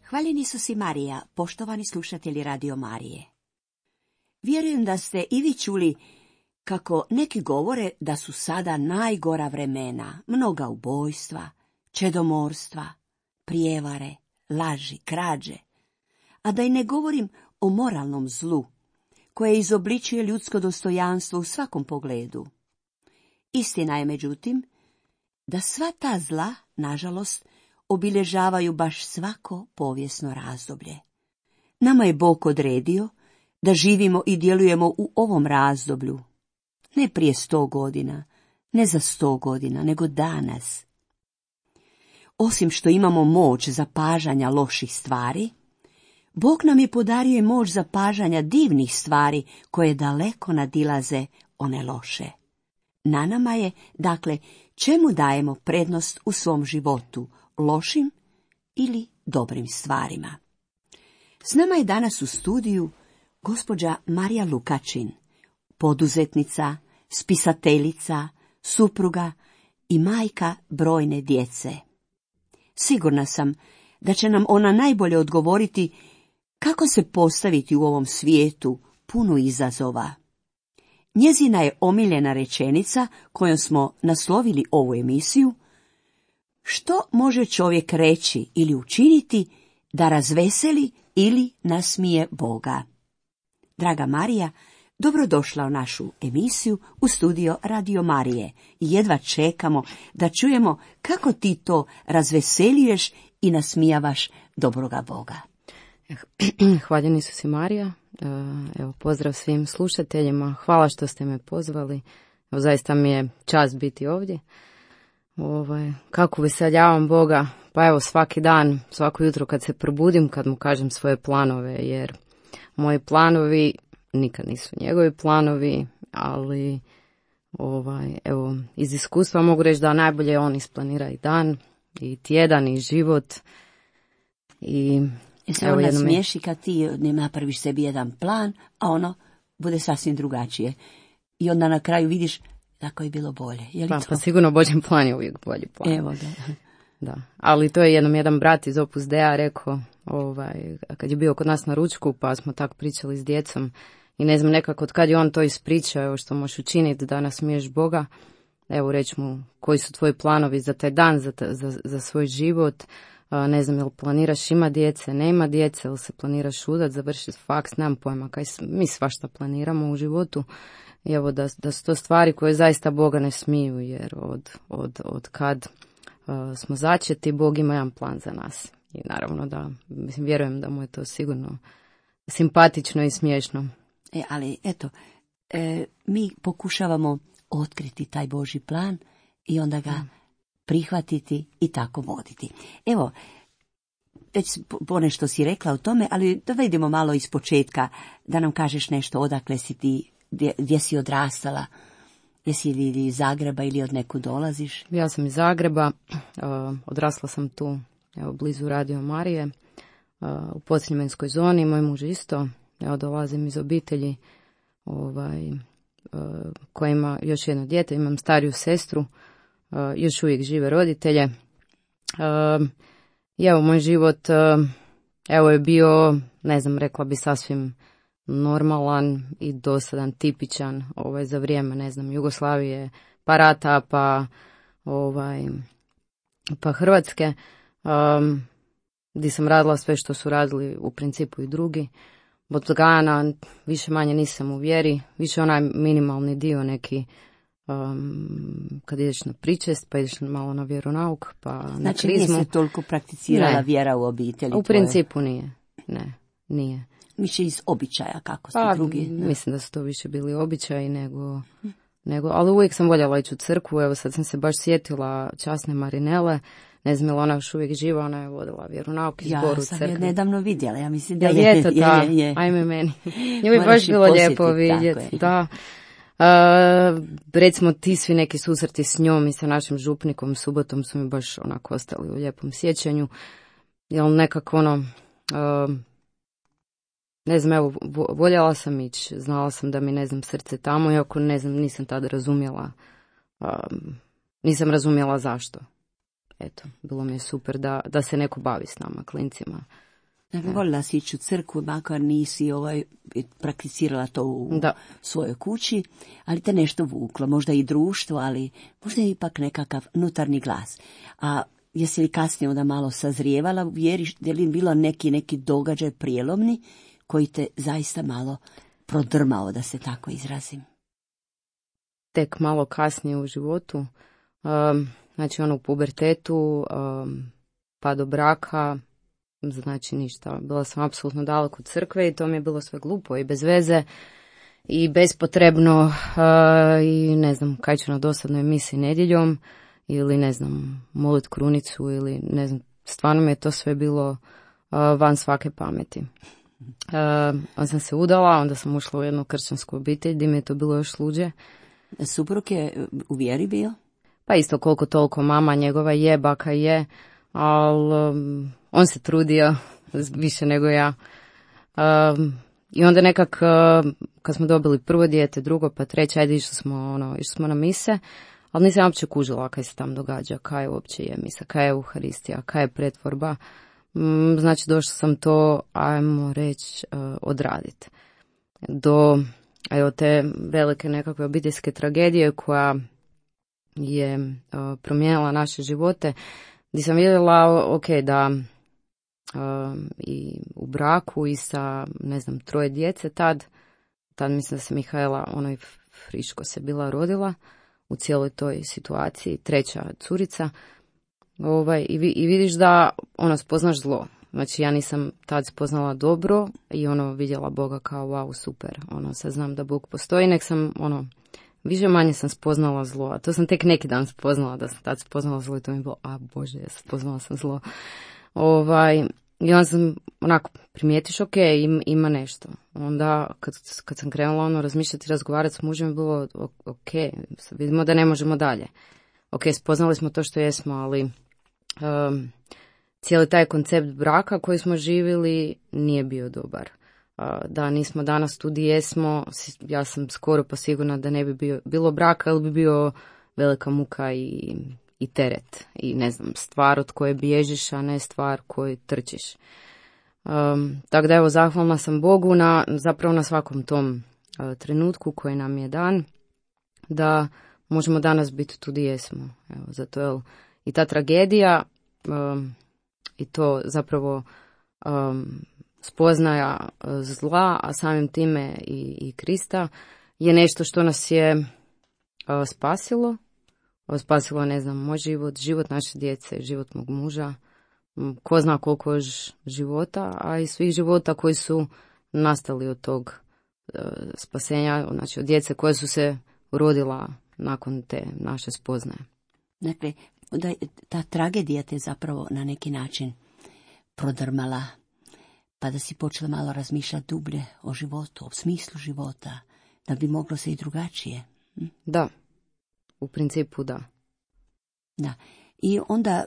Hvaljeni Isus i Marija, poštovani slušatelji Radio Marije. Vjerujem da ste i vi čuli kako neki govore da su sada najgora vremena, mnoga ubojstva, čedomorstva, prijevare, laži, krađe, a da i ne govorim o moralnom zlu, koje izobličuje ljudsko dostojanstvo u svakom pogledu. Istina je, međutim, da sva ta zla, nažalost, obilježavaju baš svako povijesno razdoblje. Nama je Bog odredio da živimo i djelujemo u ovom razdoblju, ne prije 100 godina, ne za 100 godina, nego danas. Osim što imamo moć zapažanja loših stvari, Bog nam je podario moć zapažanja divnih stvari koje daleko nadilaze one loše. Na nama je, dakle, čemu dajemo prednost u svom životu, lošim ili dobrim stvarima. S nama je danas u studiju gospođa Marija Lukačin, poduzetnica, spisateljica, supruga i majka brojne djece. Sigurna sam da će nam ona najbolje odgovoriti kako se postaviti u ovom svijetu punu izazova. Njezina je omiljena rečenica kojom smo naslovili ovu emisiju: što može čovjek reći ili učiniti da razveseli ili nasmije Boga? Draga Marija, dobrodošla u našu emisiju u studio Radio Marije i jedva čekamo da čujemo kako ti to razveseljuješ i nasmijavaš dobroga Boga. Hvaljeni Isus i Marija. Evo, pozdrav svim slušateljima. Hvala što ste me pozvali. Evo, zaista mi je čast biti ovdje. Kako veseljavam Boga? Pa evo, svaki dan, svako jutro kad se probudim, kad mu kažem svoje planove, jer moji planovi nikad nisu njegovi planovi, ali evo, iz iskustva mogu reći da najbolje on isplanira i dan, i tjedan, i život. I se on nasmiješi kad ti ne napraviš sebi jedan plan, a ono bude sasvim drugačije. I onda na kraju vidiš tako je bilo bolje. Je li pa sigurno Božji plan je uvijek bolji plan. Evo da. Da. Ali to je jedan brat iz Opus Dea rekao, kad je bio kod nas na ručku, pa smo tako pričali s djecom i ne znam, nekako od kad je on to ispričao, evo što možeš učiniti da nasmiješ Boga, evo reći mu koji su tvoji planovi za taj dan, za svoj život. Ne znam, jel planiraš ima djece, nema djece, ili se planiraš udat, završiti faks, nemam pojma, kaj mi svašta planiramo u životu. I evo da su to stvari koje zaista Boga ne smiju, jer od kad smo začeti, Bog ima jedan plan za nas. I naravno da, vjerujem da mu je to sigurno simpatično i smiješno. Ali eto, mi pokušavamo otkriti taj Božji plan i onda ga prihvatiti i tako voditi. Evo, već ponešto si rekla o tome, ali da vidimo malo iz početka, da nam kažeš nešto odakle si ti, gdje si odrastala, jesi li iz Zagreba ili od nekud dolaziš? Ja sam iz Zagreba, odrasla sam tu, evo, blizu Radio Marije, u Podsljemenskoj zoni, moj muž isto, evo, dolazim iz obitelji koja ima još jedno dijete, imam stariju sestru, još uvijek žive roditelje. I evo, moj život evo je bio, ne znam, rekla bi sasvim normalan i dosadan, tipičan za vrijeme, ne znam, Jugoslavije, pa rata, pa Hrvatske, gdje sam radila sve što su radili u principu i drugi. Od Gana više manje nisam u vjeri, više onaj minimalni dio neki, kad ideš na pričest, pa ideš malo na vjeronauk, pa na krizmu. Znači nije se toliko prakticirala vjera u obitelji? U principu nije, nije. Više iz običaja, kako su drugi? Mislim da su to više bili običaji nego, ali uvijek sam voljela ići u crkvu. Evo sad sam se baš sjetila časne Marinele, ne znam, ona još uvijek živa, ona je vodila vjeronauk i zbor u crkvi. Ja sam je nedavno vidjela, ja mislim da je. Ajme meni. Nju je baš bilo lijepo vidjeti. Da. Recimo ti svi neki susreti s njom i sa našim župnikom Subotom su mi baš onako ostali u lijepom sjećanju. Jel nekako ne znam, evo, voljela sam ići, znala sam da mi, ne znam, srce tamo, iako, ne znam, nisam tada razumjela, nisam razumjela zašto. Eto, bilo mi je super da se neko bavi s nama, klincima, Dakle, voljela si ići u crkvu, makar nisi prakticirala to u svojoj kući, ali te nešto vuklo, možda i društvo, ali možda i ipak nekakav unutarnji glas. A jesi li kasnije onda malo sazrijevala u vjeri, je li bilo neki događaj prijelomni koji te zaista malo prodrmao, da se tako izrazim? Tek malo kasnije u životu, znači u pubertetu, pa do braka, znači ništa. Bila sam apsolutno daleko od crkve i to mi je bilo sve glupo i bez veze i bespotrebno i ne znam kaj ću na dosadnoj misiji nedjeljom ili ne znam molit krunicu ili ne znam, stvarno mi je to sve bilo van svake pameti. Onda sam se udala, onda sam ušla u jednu kršćansku obitelj gdje mi je to bilo još sluđe. Suprug je u vjeri bio? Pa isto koliko toliko, mama njegova je, baka je, ali on se trudio više nego ja. I onda nekak, kad smo dobili prvo dijete, drugo, pa treće, ajde išli smo na mise, ali nisam uopće kužila kaj se tam događa, kaj uopće je misa, kaj je Euharistija, kaj je pretvorba. Znači došla sam to, ajmo reći, odraditi. Do te velike nekakve obiteljske tragedije koja je promijenila naše živote, gdje sam vidjela, da i u braku i sa, ne znam, 3 djece tad mislim da se Mihajla, friško se bila rodila u cijeloj toj situaciji, 3. curica, i vidiš da spoznaš zlo. Znači ja nisam tad spoznala dobro i vidjela Boga kao wow, super, sad znam da Bog postoji, nek sam više manje sam spoznala zlo, a to sam tek neki dan spoznala da sam tad spoznala zlo i to mi je bilo, Bože, spoznala sam zlo. I onda sam primijetiš, ima nešto. Onda kad sam krenula razmišljati, razgovarati s mužem, je bilo vidimo da ne možemo dalje. Spoznali smo to što jesmo, ali cijeli taj koncept braka koji smo živjeli nije bio dobar. Da nismo danas tu gdje jesmo, ja sam skoro pa sigurna da ne bi bilo braka, ali bi bio velika muka i teret. I ne znam, stvar od koje bježiš, a ne stvar koju trčiš. Tako da evo, zahvalna sam Bogu zapravo na svakom tom trenutku koji nam je dan, da možemo danas biti tu gdje jesmo. Evo, zato je i ta tragedija i to zapravo spoznaja zla, a samim time i Krista, je nešto što nas je spasilo. Spasilo, ne znam, moj život naše djece, život mog muža, ko zna koliko još života, a i svih života koji su nastali od tog spasenja, znači od djece koje su se rodila nakon te naše spoznaje. Dakle, da ta tragedija te zapravo na neki način prodrmala, pa da si počela malo razmišljati dublje o životu, o smislu života, da bi moglo se i drugačije. Da, u principu da. Da, i onda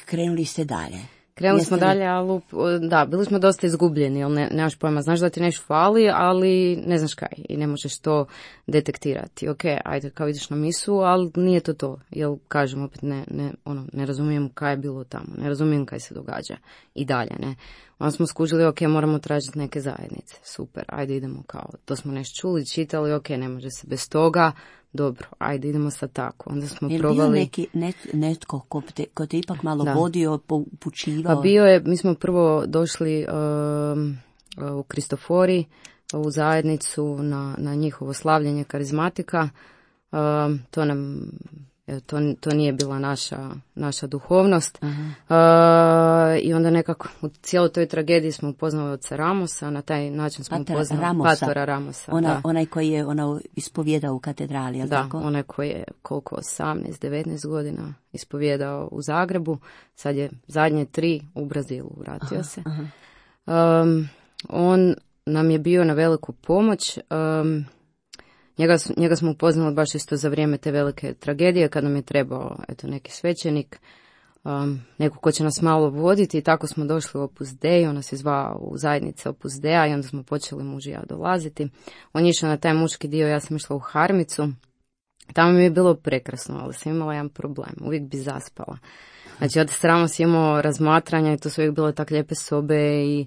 krenuli ste dalje. Krenuli smo dalje, ali da, bili smo dosta izgubljeni, ali nemaš pojma, znaš da ti nešto fali, ali ne znaš kaj i ne možeš to detektirati. Ajde, kao ideš na misu, ali nije to, jer kažem opet ne razumijem kaj je bilo tamo, ne razumijem kaj se događa i dalje, ne. Onda smo skužili, moramo tražiti neke zajednice, super, ajde idemo kao, to smo nešto čuli, čitali, ne može se bez toga, dobro, ajde idemo sad tako. Onda smo probali... Bio netko ko te ipak malo vodio, upućivao? Pa bio je, mi smo prvo došli u Kristofori, u zajednicu na njihovo slavljenje karizmatika. To nije bila naša duhovnost. I onda nekako u cijeloj toj tragediji smo upoznali oca Ramosa, na taj način smo upoznali Pastora Ramosa. Onaj koji je ispovjedao u katedrali, je li tako? Da, onaj koji je 18-19 godina ispovjedao u Zagrebu, sad je zadnje 3 u Brazilu, vratio se. On nam je bio na veliku pomoć. Njega smo upoznali baš isto za vrijeme te velike tragedije, kad nam je trebao neki svećenik, neko ko će nas malo voditi, i tako smo došli u Opus Dei, on nas je zvao u zajednice Opus Dea i onda smo počeli muž i ja dolaziti. On je išao na taj muški dio, ja sam išla u Harmicu, tamo mi je bilo prekrasno, ali sam imala jedan problem, uvijek bi zaspala. Znači, od stramo si imao razmatranja i to su uvijek bile tak lijepe sobe i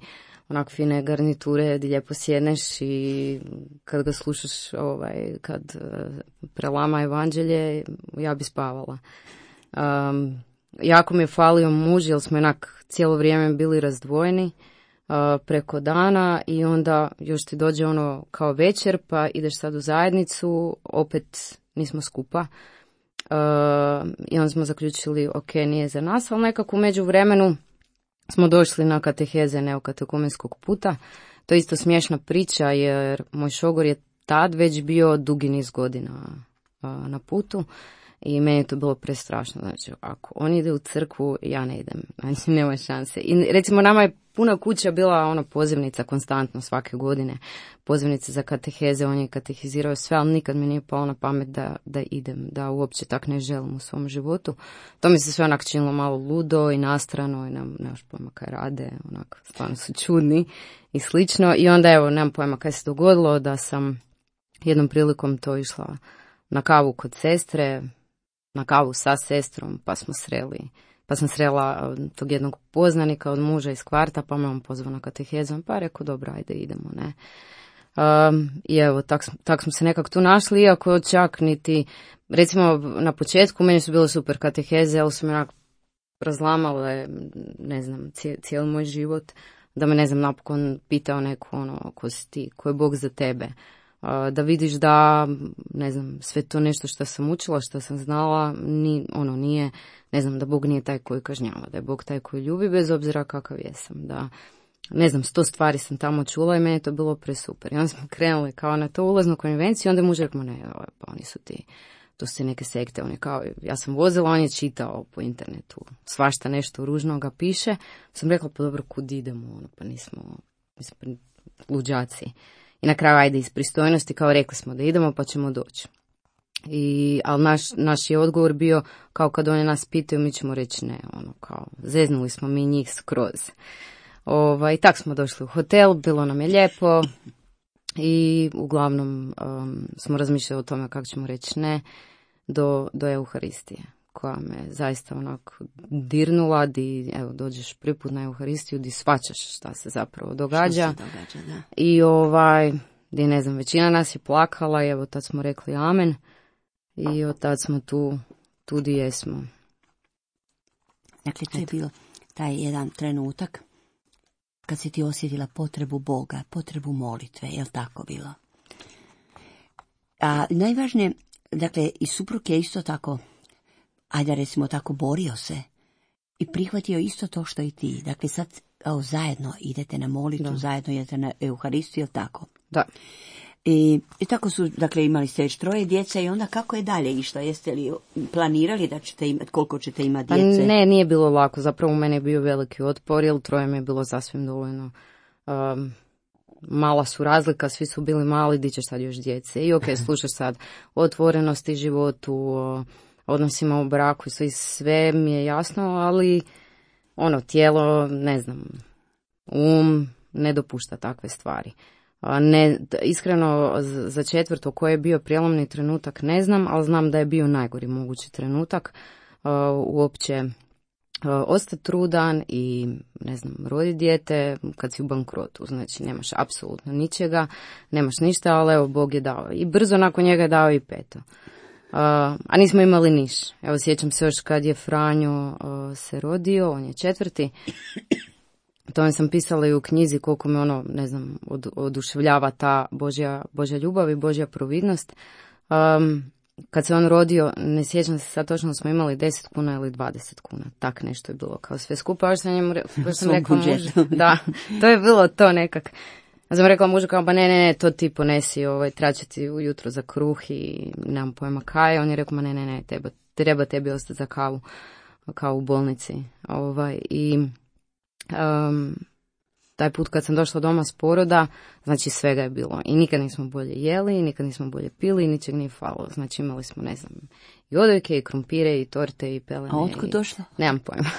onak fine garniture gdje lijepo sjedneš i kad ga slušaš, kad prelama evanđelje, ja bi spavala. Jako mi je falio muž, jer smo onak cijelo vrijeme bili razdvojeni preko dana i onda još ti dođe ono kao večer, pa ideš sad u zajednicu, opet nismo skupa. I onda smo zaključili, ok, nije za nas, ali nekako u međuvremenu smo došli na kateheze neokatekumenskog puta. To je isto smiješna priča, jer moj šogor je tad već bio dugi niz godina na putu i meni je to bilo prestrašno. Znači, ako on ide u crkvu, ja ne idem. Znači, nema šanse. I recimo, nama je puna kuća bila pozivnica konstantno svake godine. Pozivnice za kateheze, on je katehizirao sve, ali nikad mi nije palo na pamet da idem, da uopće tak ne želim u svom životu. To mi se sve onak činilo malo ludo i nastrano i nemaš pojma kaj rade, onak stvarno su čudni i slično. I onda evo, nemam pojma kaj se dogodilo, da sam jednom prilikom to išla na kavu kod sestre, na kavu sa sestrom, pa sam srela tog jednog poznanika od muža iz kvarta, pa me on pozvao na katehezu, pa rekao, dobro, ajde, idemo, ne. I evo, tak smo se nekako tu našli, iako čak niti, recimo, na početku meni su bile super kateheze, ali su me onako razlamale, ne znam, cijeli moj život, da me, ne znam, napokon pitao neko, ko si ti, ko je Bog za tebe. Da vidiš da, ne znam, sve to nešto što sam učila, što sam znala, nije, ne znam, da Bog nije taj koji kažnjava, da je Bog taj koji ljubi, bez obzira kakav jesam, da, ne znam, 100 stvari sam tamo čula i meni je to bilo presuper. I onda smo krenuli kao na to ulaznu konvenciju, onda je muž rekao, ne, pa oni su ti, to su ti neke sekte, on je kao, ja sam vozila, on je čitao po internetu, svašta nešto ružno ga piše, sam rekla, pa dobro, kud idemo, pa nismo luđaci. I na kraju, ajde, iz pristojnosti, kao rekli smo da idemo, pa ćemo doći. Ali naš je odgovor bio, kao kad oni nas pitaju, mi ćemo reći ne, kao, zeznuli smo mi njih skroz. I tak smo došli u hotel, bilo nam je lijepo i uglavnom smo razmišljali o tome kako ćemo reći ne do Euharistije, koja me zaista onako dirnula, di evo, dođeš prvi put na Euharistiju, di shvaćaš šta se zapravo događa. Da. I di ne znam, većina nas je plakala i evo tad smo rekli amen i od tad smo tu di jesmo. Dakle, to je bilo taj jedan trenutak kad si ti osjetila potrebu Boga, potrebu molitve, je li tako bilo? A najvažnije, dakle, i suprug je isto tako, ajde recimo tako, borio se i prihvatio isto to što i ti. Dakle, sad zajedno idete na molitvu, da. Zajedno idete na Euharistiju, je li tako? Da. I tako su, dakle, imali ste već 3 djece i onda kako je dalje išlo? Jeste li planirali da ćete imati, koliko ćete imati djece? Pa ne, nije bilo lako. Zapravo u mene je bio veliki otpor, jer 3 mi je bilo sasvim dovoljno. Mala su razlika, svi su bili mali, di ćeš sad još djece. I ok, slušaš sad o otvorenosti životu, o odnosima u braku, sve mi je jasno, ali tijelo, ne znam, ne dopušta takve stvari. Ne, iskreno, za 4. koji je bio prijelomni trenutak ne znam, ali znam da je bio najgori mogući trenutak. Uopće ostati trudan i, ne znam, roditi dijete kad si u bankrotu. Znači, nemaš apsolutno ničega, nemaš ništa, ali evo, Bog je dao. I brzo nakon njega je dao i 5. A nismo imali niš. Evo, sjećam se još kad je Franjo se rodio, on je 4. To sam pisala i u knjizi koliko me ne znam, oduševljava ta Božja ljubav i Božja providnost. Kad se on rodio, ne sjećam se sad točno, smo imali 10 kuna ili 20 kuna. Tak nešto je bilo kao sve skupa. Još sam rekla mužu, da, to je bilo to nekak. Ja sam rekla mužu kao, pa ne, to ti ponesi, traće ti ujutro za kruh i nemam pojma kaj. On je rekao, ma ne, treba tebi ostati za kavu, kao u bolnici. I taj put kad sam došla doma s poroda, znači svega je bilo. I nikad nismo bolje jeli, nikad nismo bolje pili, ničeg nije falilo. Znači imali smo, ne znam, i odojke, i krumpire, i torte, i pelene. A otkud došla? Nemam pojma.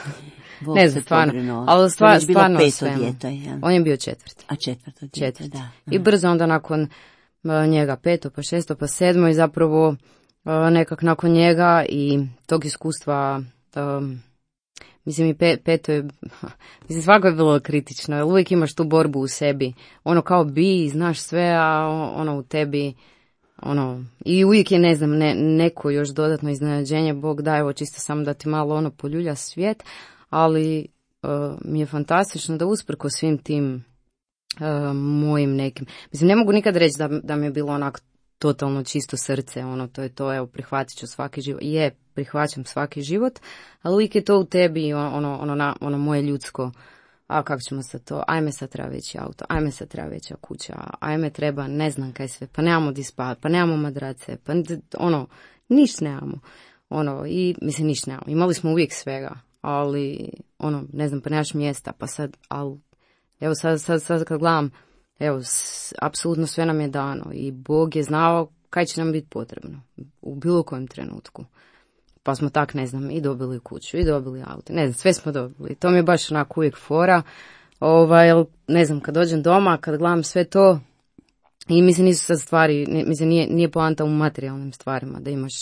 Ne znam, stvarno. Ali stvarno sve. On je bio 4. A 4. dijete, da. I brzo onda nakon njega 5, pa 6, pa 7 i zapravo nekak nakon njega i tog iskustva Mislim, i peto je, mislim, svako je bilo kritično, jer uvijek imaš tu borbu u sebi. Ono kao bi, znaš sve, a ono u tebi, ono, i uvijek je, ne znam, neko još dodatno iznenađenje, Bog daje, evo čisto samo da ti malo ono poljulja svijet, ali mi je fantastično da usprko svim tim mojim nekim, mislim, ne mogu nikad reći da mi je bilo onako totalno čisto srce, ono, to je to, evo, prihvatit ću svaki život, prihvaćam svaki život, ali uvijek je to u tebi, ono moje ljudsko, a kako ćemo sad to, ajme sad treba veći auto, ajme sad treba veća kuća, ajme treba, ne znam kaj sve, pa nemamo di spavat, pa nemamo madrace, pa niš nemamo, i mislim niš nemamo, imali smo uvijek svega, ali, ne znam, pa nemaš mjesta, pa sad, ali, evo sad kad gledam, evo, apsolutno sve nam je dano i Bog je znao kaj će nam biti potrebno u bilo kojem trenutku. Pa smo tak, ne znam, i dobili kuću, i dobili auto, ne znam, sve smo dobili. To mi je baš onako uvijek fora, ne znam, kad dođem doma, kad gledam sve to, i mislim nisu sad stvari, mislim nije poanta u materijalnim stvarima, da imaš,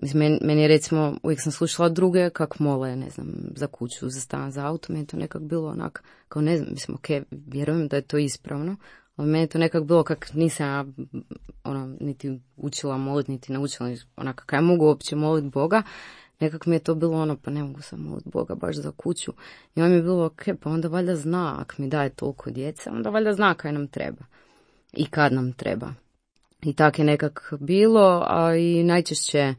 mislim, meni je recimo, uvijek sam slušala druge kak mole, ne znam, za kuću, za stan, za auto, meni je to nekak bilo onak, kao ne znam, mislim, vjerujem da je to ispravno, ali meni je to nekak bilo kak nisam ja, niti učila moliti, niti naučila, onak, kaj mogu uopće moliti Boga, nekak mi je to bilo pa ne mogu sam moliti Boga baš za kuću. I on mi je bilo, pa onda valjda zna, ak mi daje toliko djece, onda valjda zna kaj nam treba i kad nam treba. I tak je nekak bilo, a i najčešće,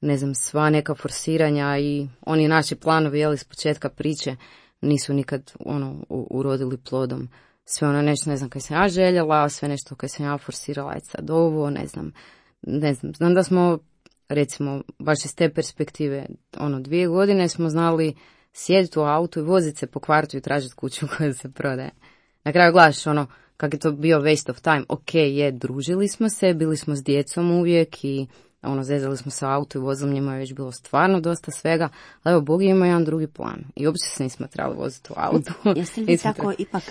ne znam, sva neka forsiranja i oni naši planovi, jeli, s početka priče, nisu nikad, urodili plodom. Sve nešto, ne znam, kaj sam ja željela, sve nešto kaj sam ja forsirala, sad ovo, ne znam, znam da smo, recimo, baš iz te perspektive, 2 godine smo znali sjediti u autu i voziti se po kvartu i tražiti kuću koja se prodaje. Na kraju gledaš, kak je to bio waste of time, družili smo se, bili smo s djecom uvijek i zezali smo se u autu i vozili, njima je već bilo stvarno dosta svega, ali evo, Bog ima jedan drugi plan i uopće se nismo trebali voziti u autu. Jeste li tako ipak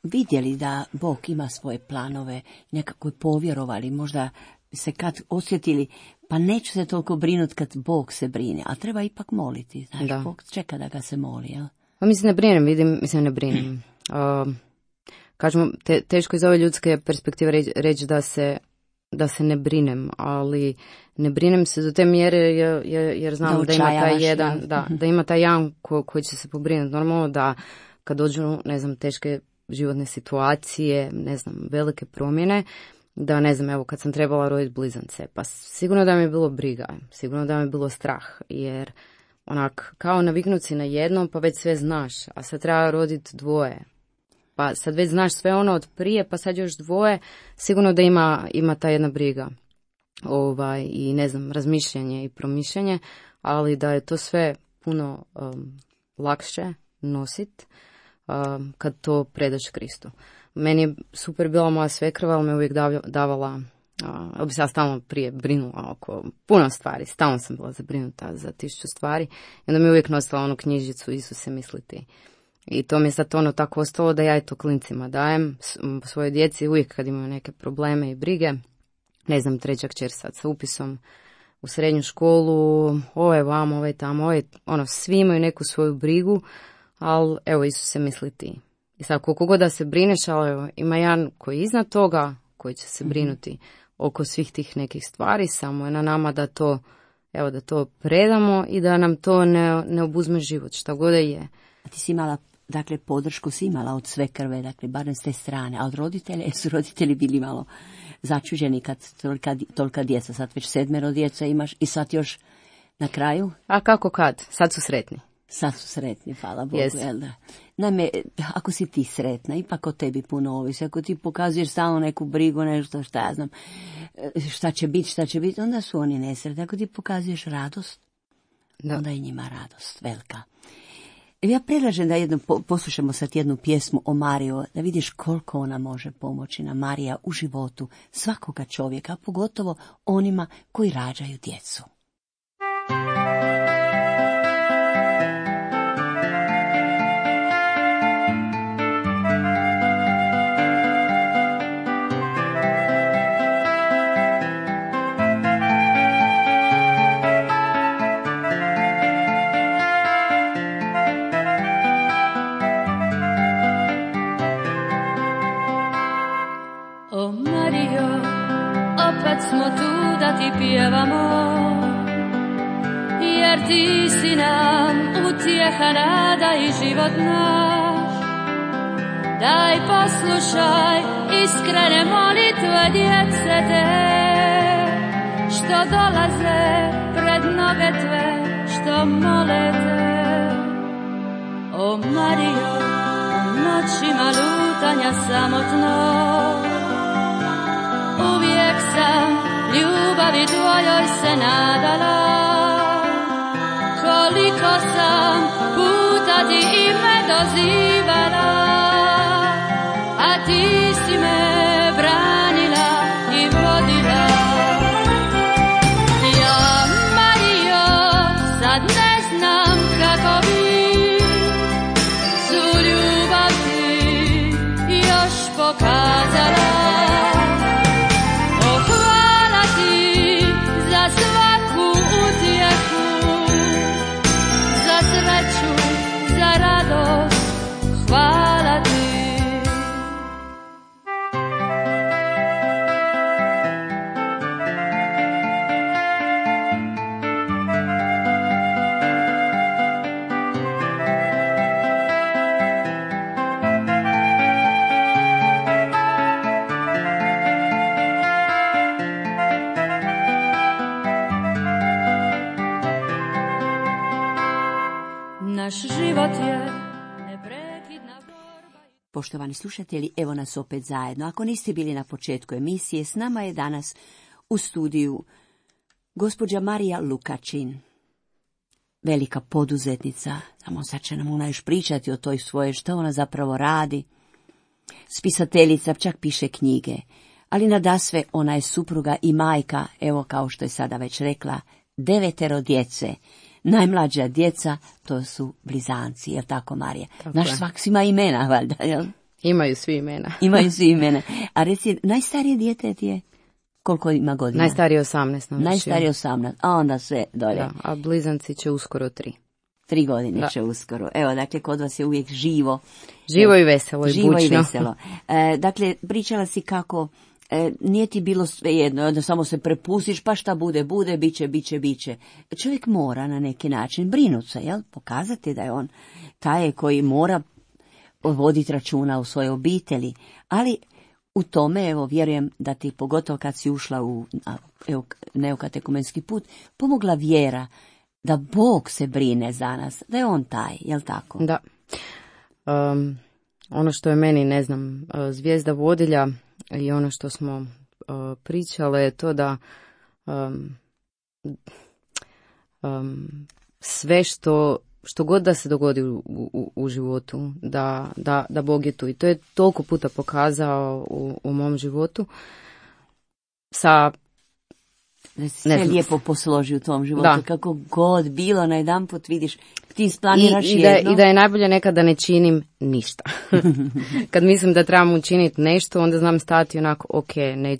vidjeli da Bog ima svoje planove, nekako povjerovali, možda se kad osjetili, pa neću se toliko brinuti kad Bog se brine, a treba ipak moliti, znaš, da. Bog čeka da ga se moli, jel? Pa mislim, ne brinem. Kažemo, teško iz ove ljudske perspektive reći da se ne brinem, ali ne brinem se do te mjere jer znam da ima taj jedan, da ima taj jedan koji će se pobrinuti. Normalno da kad dođu, ne znam, teške životne situacije, ne znam, velike promjene, da ne znam, evo kad sam trebala roditi blizance, pa sigurno da mi je bilo briga, sigurno da mi je bilo strah, jer onak kao naviknuti si na jedno, pa već sve znaš, a sad treba roditi 2. Pa sad već znaš sve od prije, pa sad još 2, sigurno da ima ta jedna briga. I ne znam, razmišljanje i promišljanje, ali da je to sve puno lakše nosit kad to predaš Kristu. Meni je super bila moja svekrva, ali me uvijek davala, bi se ja stalno prije brinula oko puno stvari, stalno sam bila zabrinuta za 1000 stvari, i onda mi uvijek nosila knjižicu Isuse misli ti. I to mi je sad tako ostalo da ja i to klincima dajem svojoj djeci uvijek kad imaju neke probleme i brige. Ne znam, 3. kćer sad sa upisom u srednju školu, ovo je vamo, ovo je tamo, svi imaju neku svoju brigu, ali evo Isuse misli ti. I sad koliko god da se brineš, ali evo, ima jedan koji je iznad toga, koji će se brinuti oko svih tih nekih stvari, samo je na nama da to predamo i da nam to ne obuzme život, šta god je. A ti si imala, dakle, podršku si imala od sve krve, dakle, barem s te strane, a od roditelja, su roditelji bili malo začuđeni kad tolika djeca, sad već 7 djeca imaš i sad još na kraju? A kako kad? Sad su sretni. Sad su sretni, hvala Bogu, jel da? Naime, ako si ti sretna, ipak o tebi puno ovisi. Ako ti pokazuješ stalno neku brigu, nešto, šta ja znam, šta će biti, onda su oni nesretni. Ako ti pokazuješ radost, onda je njima radost velika. Ja predlažem da poslušamo sad jednu pjesmu o Mariju, da vidiš koliko ona može pomoći na Marija u životu svakoga čovjeka, pogotovo onima koji rađaju djecu. ti pjevamo, jer ti si nam utjeha, nada i život naš. Daj poslušaj iskrene molitve djece te, što dolaze pred noge tve, što mole te. O Marijo, u noćima lutanja samotno, uvijek sam ljubavi tvojoj se nadala. Koliko sam puta ti ime dozivala, a ti si me branila i vodila. Ja, Marijo, sad ne znam kako bi svu ljubav ti još pokazala. O, hvala ti za svaku utjehu, za sreću, za radost, hvala ti. Naš život je neprekidna borba. Poštovani slušatelji, evo nas opet zajedno. Ako niste bili na početku emisije, s nama je danas u studiju gospođa Marija Lukačin, velika poduzetnica. Samo sad će nam ona još pričati o toj svoje, što ona zapravo radi. Spisateljica, čak piše knjige. Ali nadasve ona je supruga i majka, evo kao što je sada već rekla, 9 djece. Najmlađa djeca, to su blizanci, jel tako, Marija? Tako Naš je. svak svima imena, valjda, jel? Imaju svi imena. Imaju svi imena. A reci, najstarije dijete ti je, koliko ima godina? Najstariji 18 navršio. Najstariji 18, a onda sve dolje. Da, a blizanci će uskoro 3. 3 godine Da. će uskoro. Evo, dakle, kod vas je uvijek živo. Živo i veselo i Živo bučno. i veselo. Dakle, pričala si kako nije ti bilo svejedno, onda samo se prepustiš, pa šta bude, biće. Čovjek mora na neki način brinuti se, jel? Pokazati da je on taj koji mora voditi računa u svojoj obitelji. Ali u tome, evo, vjerujem da ti, pogotovo kad si ušla u neokatekumenski put, pomogla vjera da Bog se brine za nas, da je on taj, jel tako? Da. Ono što je meni, ne znam, zvijezda vodilja i ono što smo pričale je to da sve što god da se dogodi u životu, da Bog je tu. I to je toliko puta pokazao u mom životu. Da se sve lijepo posloži u tvom životu, Da. kako god bilo, na jedan put vidiš, ti isplaniraš I jedno. da je najbolje nekada ne činim ništa. Kad mislim da trebam učiniti nešto, onda znam stati onako, ok,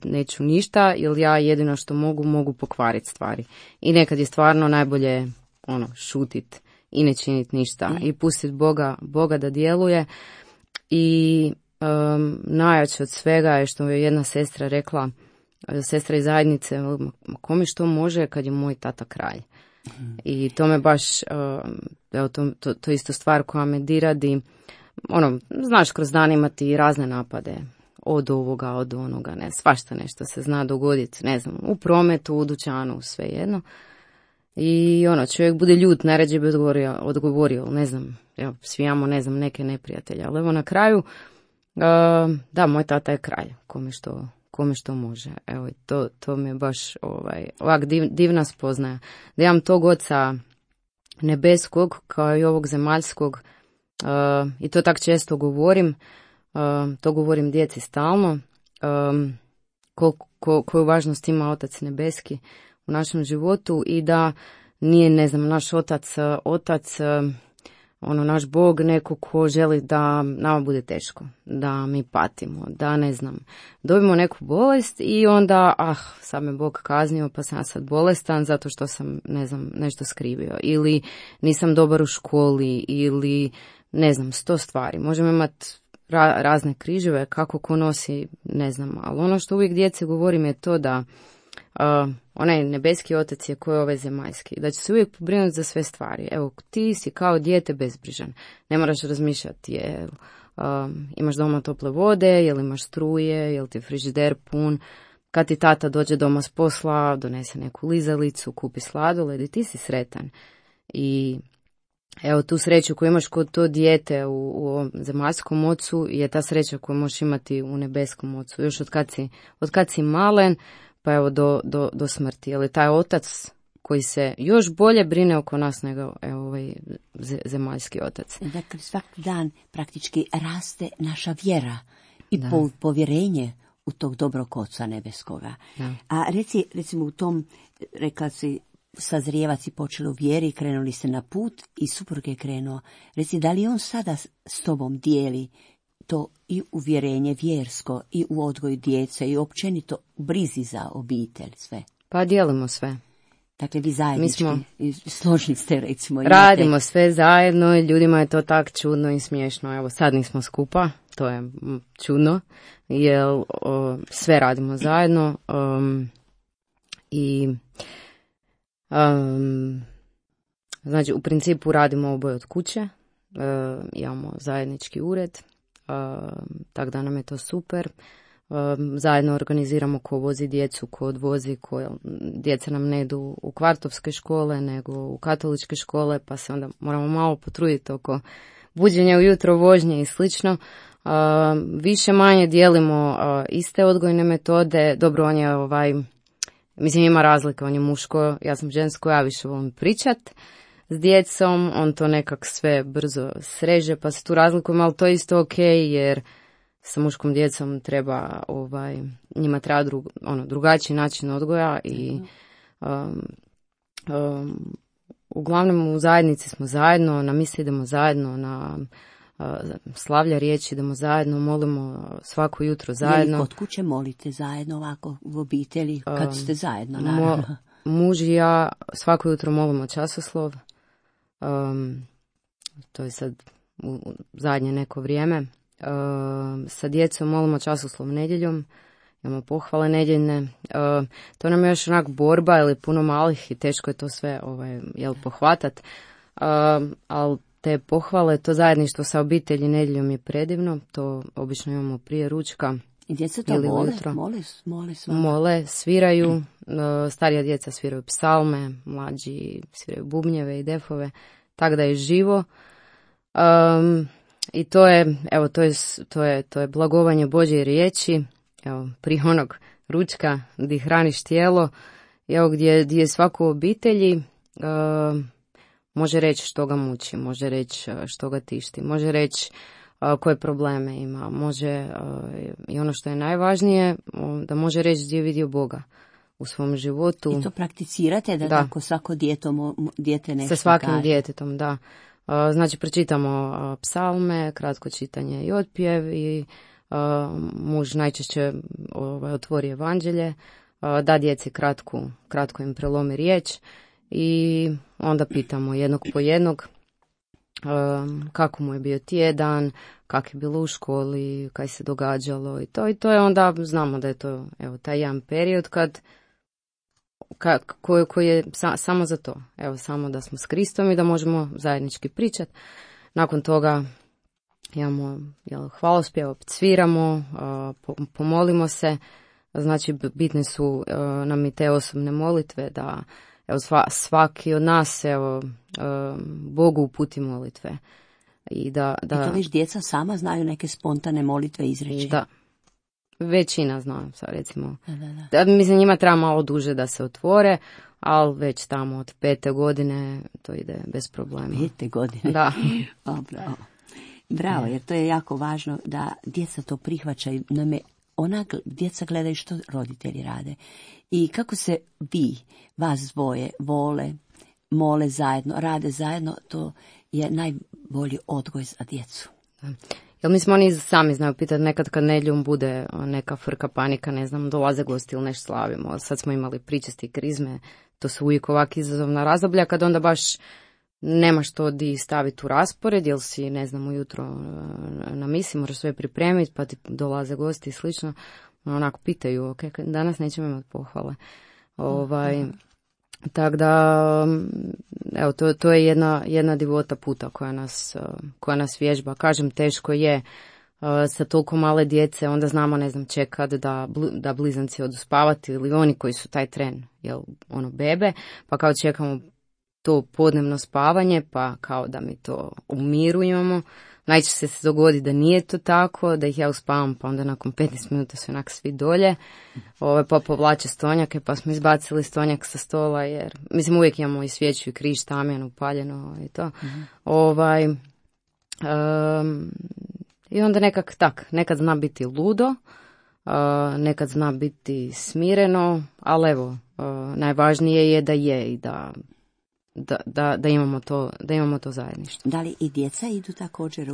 neću ništa, jer ja jedino što mogu pokvariti stvari. I nekad je stvarno najbolje šutit i ne činiti ništa. I pustiti Boga da djeluje. I najjače od svega je što je jedna sestra rekla, sestra iz zajednice, kome što može kad je moj tata kralj. I to me baš, evo, to je isto stvar koja me diradi. Znaš, kroz dan imati razne napade. Od ovoga, od onoga, ne, svašta nešto se zna dogoditi, ne znam, u prometu, u dućanu, svejedno. I čovjek bude ljut, najrađe bi odgovorio, ne znam, evo, svi imamo, ne znam, neke neprijatelje. Ali evo na kraju, da, moj tata je kralj, kome što može. Evo, to mi je baš ovak divna spoznaja. Da imam tog Oca nebeskog kao i ovog zemaljskog, i to tak često govorim, to govorim djeci stalno, koju važnost ima Otac nebeski u našem životu i da nije, ne znam, naš otac, naš Bog neko ko želi da nama bude teško, da mi patimo, da, ne znam, dobimo neku bolest i onda, sad me Bog kaznio pa sam sad bolestan zato što sam, ne znam, nešto skrivio ili nisam dobar u školi ili, ne znam, 100 stvari. Možemo imati razne križeve, kako ko nosi, ne znam, ali ono što uvijek djeci govorim je to da onaj nebeski otac je koji je ovaj zemaljski, da će se uvijek pobrinuti za sve stvari. Evo, ti si kao dijete bezbrižan, ne moraš razmišljati imaš doma tople vode, jel imaš struje, jel ti je frižider pun, kad ti tata dođe doma s posla, donese neku lizalicu, kupi sladoled i ti si sretan. I evo, tu sreću koju imaš kod to dijete u ovom zemaljskom ocu je ta sreća koju možeš imati u nebeskom ocu. Još od kad si malen, pa evo do smrti. Jer je taj otac koji se još bolje brine oko nas nego ovaj zemaljski otac. Dakle, svaki dan praktički raste naša vjera i Da. povjerenje u tog dobrog oca nebeskoga. Da. A recimo u tom, rekla si, sazrijevac i počeli u vjeri, krenuli se na put i suprug je krenuo. Reci, da li on sada s tobom dijeli to i uvjerenje vjersko i u odgoju djece i općenito u brizi za obitelj sve? Pa dijelimo sve. Dakle, vi zajednički složni ste, recimo. Radimo sve zajedno i ljudima je to tak čudno i smiješno. Evo, sad nismo skupa, to je čudno, jer sve radimo zajedno i znači u principu radimo oboje od kuće, imamo zajednički ured, tako da nam je to super. Zajedno organiziramo ko vozi djecu, ko odvozi, djeca nam ne idu u kvartovske škole nego u katoličke škole, pa se onda moramo malo potruditi oko buđenja ujutro, vožnje i slično. Više manje dijelimo iste odgojne metode. Dobro, on je mislim, ima razlika, on je muško, ja sam žensko, ja više volim pričat s djecom, on to nekak sve brzo sreže, pa se tu razlikujemo, ali to je isto ok, jer sa muškom djecom treba, njima treba drugačiji način odgoja i uglavnom u zajednici smo zajedno, na mise idemo zajedno, na slavlja riječi idemo zajedno, molimo svako jutro zajedno. Je li kod kuće molite zajedno ovako u obitelji kad ste zajedno, naravno? Muž i ja svako jutro molimo časoslov, to je sad u zadnje neko vrijeme. Sa djecom molimo časoslov nedjeljom, imamo pohvale nedjeljne. To nam je još onak borba, jer je puno malih i teško je to sve pohvatat. Ali te pohvale, to zajedništvo sa obitelji nedjeljom je predivno, to obično imamo prije ručka. I djeca to mole, sviraju, starija djeca sviraju psalme, mlađi sviraju bubnjeve i defove, tako da je živo. I to je blagovanje Božje riječi, evo, prije onog ručka gdje hraniš tijelo, evo, gdje je svako u obitelji može reći što ga muči, može reći što ga tišti, može reći koje probleme ima, može, i ono što je najvažnije, da može reći gdje je vidio Boga u svom životu. I to prakticirate, da tako svako dijete nešto sa svakim kaže. djetetom, da. Znači, pročitamo psalme, kratko čitanje i otpjev i muž najčešće otvori evanđelje, da djeci kratko im prelomi riječ i onda pitamo jednog po jednog kako mu je bio tjedan, kak je bilo u školi, kaj se događalo i to je onda, znamo da je to taj jedan period koji je samo za to, samo da smo s Kristom i da možemo zajednički pričati. Nakon toga imamo hvalospjev, opet sviramo, pomolimo se, znači bitne su nam i te osobne molitve, da svaki od nas Bogu uputi molitve. I to viš djeca sama znaju neke spontane molitve izreći. Da. Većina znam, sad recimo. Da. Mislim, njima treba malo duže da se otvore, ali već tamo od 5. godine to ide bez problema. 5. godine? Da. Bravo, jer to je jako važno da djeca to prihvaćaju. Djeca gledaju što roditelji rade. I kako se vas dvoje mole zajedno, rade zajedno, to je najbolji odgoj za djecu. Da. Jel mislim, oni sami znaju pitati nekad kad nedjeljom bude neka frka, panika, ne znam, dolaze gosti ili nešto slavimo. Sad smo imali pričesti krizme, to su uvijek ovak izazovna razdoblja kad onda baš nema što di staviti u raspored, jel si, ne znam, ujutro na misi, moraš sve pripremiti, pa ti dolaze gosti i slično. Onako pitaju, ok, danas nećemo imati pohvale. Tako da, evo, to je jedna divota puta koja nas vježba. Kažem, teško je sa toliko male djece, onda znamo, ne znam, čekat da blizanci odu spavati ili oni koji su taj tren, bebe, pa kao čekamo to podnevno spavanje, pa kao da mi to umirujemo. Najčešće se dogodi da nije to tako, da ih ja uspavam, pa onda nakon 15 minuta su onak svi dolje, pa povlače stonjake, pa smo izbacili stonjak sa stola, jer, mislim, uvijek imamo i svijeću i križ tamjan upaljeno i to. I onda nekad zna biti ludo, nekad zna biti smireno, ali evo, najvažnije je da je i da imamo to zajedništvo. Da li i djeca idu također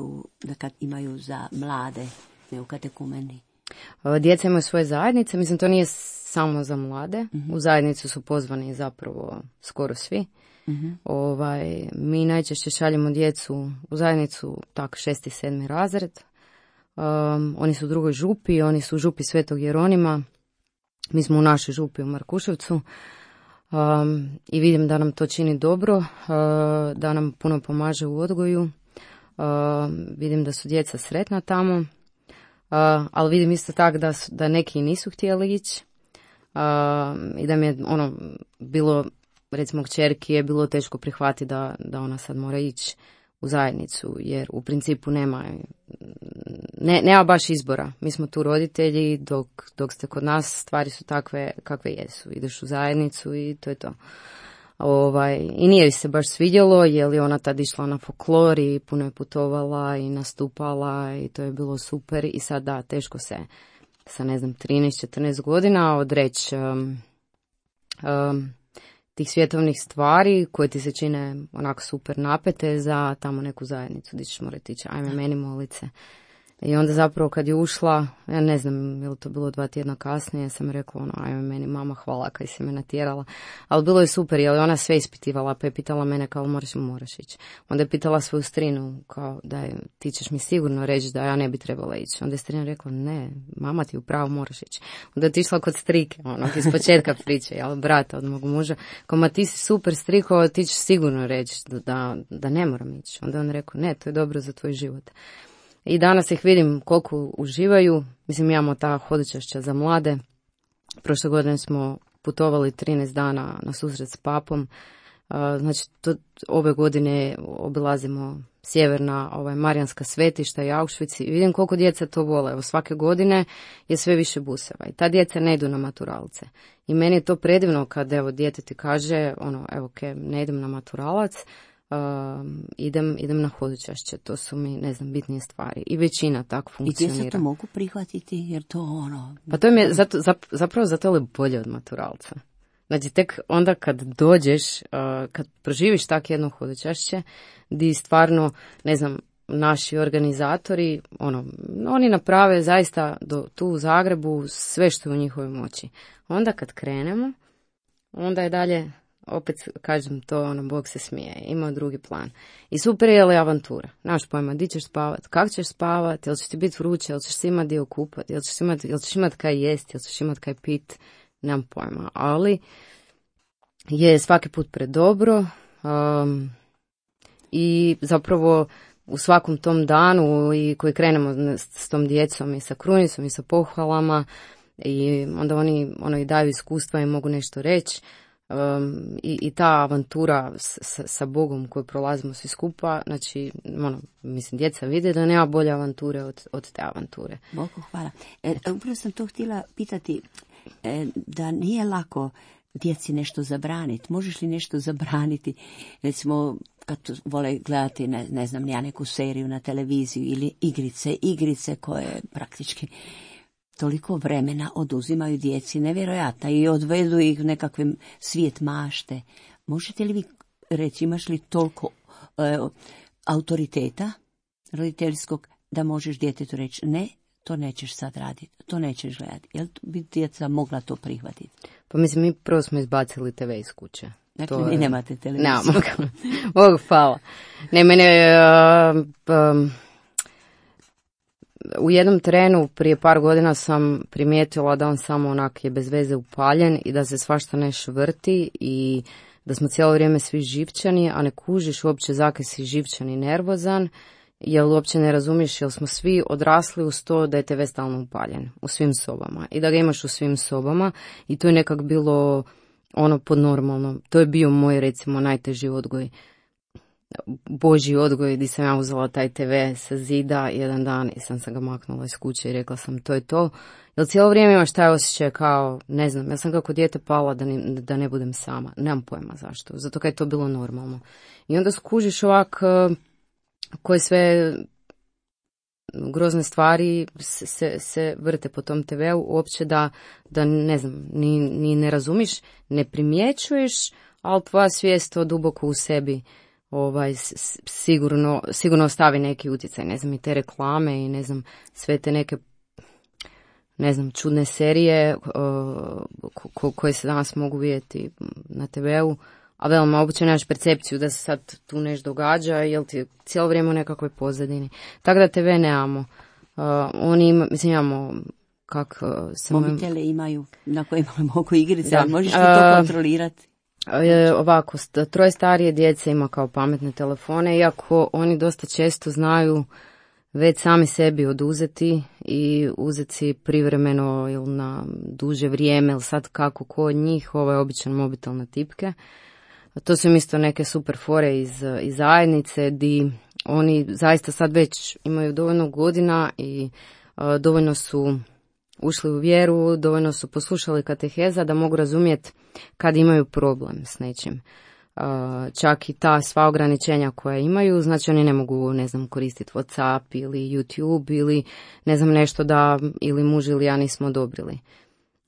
da kad imaju za mlade, ne u katekumeni? Djeca imaju svoje zajednice, mislim to nije samo za mlade, u zajednicu su pozvani zapravo skoro svi. Mi najčešće šaljemo djecu u zajednicu 6. i 7. razred. Oni su u drugoj župi, oni su u župi Svetog Jeronima, mi smo u našoj župi u Markuševcu. I vidim da nam to čini dobro, da nam puno pomaže u odgoju, vidim da su djeca sretna tamo, ali vidim isto tako da neki nisu htjeli ići i da mi je bilo, recimo kćerki je bilo teško prihvatiti da ona sad mora ići u zajednicu, jer u principu nema baš izbora. Mi smo tu roditelji, dok ste kod nas stvari su takve kakve jesu. Ideš u zajednicu i to je to. I nije joj se baš svidjelo, jer je ona tad išla na folklor i puno je putovala i nastupala i to je bilo super. I sad da, teško se sa 13-14 godina odreći tih svjetovnih stvari koje ti se čine onako super napete za tamo neku zajednicu gdje ćeš morati ići, ajme meni molice. I onda zapravo kad je ušla, ja ne znam, je li to bilo 2 tjedna kasnije, sam rekla ajme meni mama hvala kaj si me natjerala. Ali bilo je super, jer je ona sve ispitivala, pa je pitala mene kao moraš ići. Onda je pitala svoju strinu, kao da ti ćeš mi sigurno reći da ja ne bi trebala ići. Onda je strina rekla ne, mama ti upravo moraš ići. Onda je otišla kod strike, iz početka priče, brata od mog muža, kao ma ti si super striko, ti ćeš sigurno reći da ne moram ići. Onda on rekao ne, to je dobro za tvoj život. I danas ih vidim koliko uživaju. Mislim, imamo ta hodočašća za mlade. Prošle godine smo putovali 13 dana na susret s papom. Znači, ove godine obilazimo sjeverna Marijanska svetišta i Auschwitz i vidim koliko djeca to vole. Evo, svake godine je sve više buseva i ta djeca ne idu na maturalce. I meni je to predivno kad dijete ti kaže, ne idem na maturalac, idem na hodočašće, to su mi, bitnije stvari. I većina tako funkcionira. I djeca to mogu prihvatiti, jer to Pa to je zapravo zato je bolje od maturalca. Znači, tek onda kad dođeš, kad proživiš tako jedno hodočašće, di stvarno, naši organizatori, oni naprave zaista tu u Zagrebu sve što je u njihovoj moći. Onda kad krenemo, onda je dalje, opet kažem to, Bog se smije, ima drugi plan. I super je li avantura. Naš pojma, di ćeš spavat, kako ćeš spavat, jel će ti biti vruće, jel ćeš se imati dio kupat, jel ćeš imati kaj jest, jel ćeš imati kaj pit, nemam pojma. Ali je svaki put predobro i zapravo u svakom tom danu i koji krenemo s tom djecom i sa krunicom i sa pohvalama i onda oni daju iskustva i mogu nešto reći. I ta avantura sa Bogom koju prolazimo svi skupa, znači, djeca vide da nema bolje avanture od te avanture. Bogu hvala. Upravo sam to htjela pitati, da nije lako djeci nešto zabraniti. Možeš li nešto zabraniti? Recimo, kad vole gledati, ne znam, ja neku seriju na televiziju ili igrice koje praktički toliko vremena oduzimaju djeci, nevjerojatno, i odvedu ih u nekakve svijet mašte. Možete li vi reći, imaš li toliko autoriteta roditeljskog da možeš djetetu reći ne, to nećeš sad raditi, to nećeš gledati. Jel bi djeca mogla to prihvatiti? Pa mislim, mi prvo smo izbacili TV iz kuće. Dakle, vi nemate televiziju. Nemamo. Bogu hvala. Ne, mene u jednom trenu prije par godina sam primijetila da on samo onak je bez veze upaljen i da se svašta nešto vrti i da smo cijelo vrijeme svi živčani, a ne kužiš uopće zakaj si živčan i nervozan, jer uopće ne razumiješ jer smo svi odrasli uz to da je TV stalno upaljen u svim sobama i da ga imaš u svim sobama i to je nekak bilo ono podnormalno. To je bio moj recimo najteži odgoj. Božji odgoj gdje sam ja uzela taj TV sa zida jedan dan i sam se ga maknula iz kuće i rekla sam to je to. Jer cijelo vrijeme imaš taj osjećaj kao, ne znam, ja sam kako dijete pala da ne budem sama. Nemam pojma zašto, zato kad je to bilo normalno. I onda skužiš ovak koje sve grozne stvari se vrte po tom TV-u, uopće da ne znam, ni ne razumiš, ne primjećuješ, ali tvoja svijest to duboko u sebi sigurno ostavi neki utjecaj, ne znam, i te reklame i ne znam, sve te neke, ne znam, čudne serije koje se danas mogu vidjeti na TV-u, a veoma uopće nemaš percepciju da se sad tu nešto događa, jel ti cijelo vrijeme u nekakvoj pozadini. Tako da TV nemamo. Imamo mobitele imaju na kojima mogu igrice, ali možeš li to kontrolirati? Ovako, 3 starije djece ima kao pametne telefone, iako oni dosta često znaju već sami sebi oduzeti i uzeti si privremeno ili na duže vrijeme, ili sad kako ko od njih, običan mobitel na tipke. To su im isto neke super fore iz zajednice, di oni zaista sad već imaju dovoljno godina i dovoljno su ušli u vjeru, dovoljno su poslušali kateheza da mogu razumjeti kad imaju problem s nečim. Čak i ta sva ograničenja koja imaju, znači oni ne mogu, ne znam, koristiti WhatsApp ili YouTube ili ne znam nešto da ili muž ili ja nismo odobrili.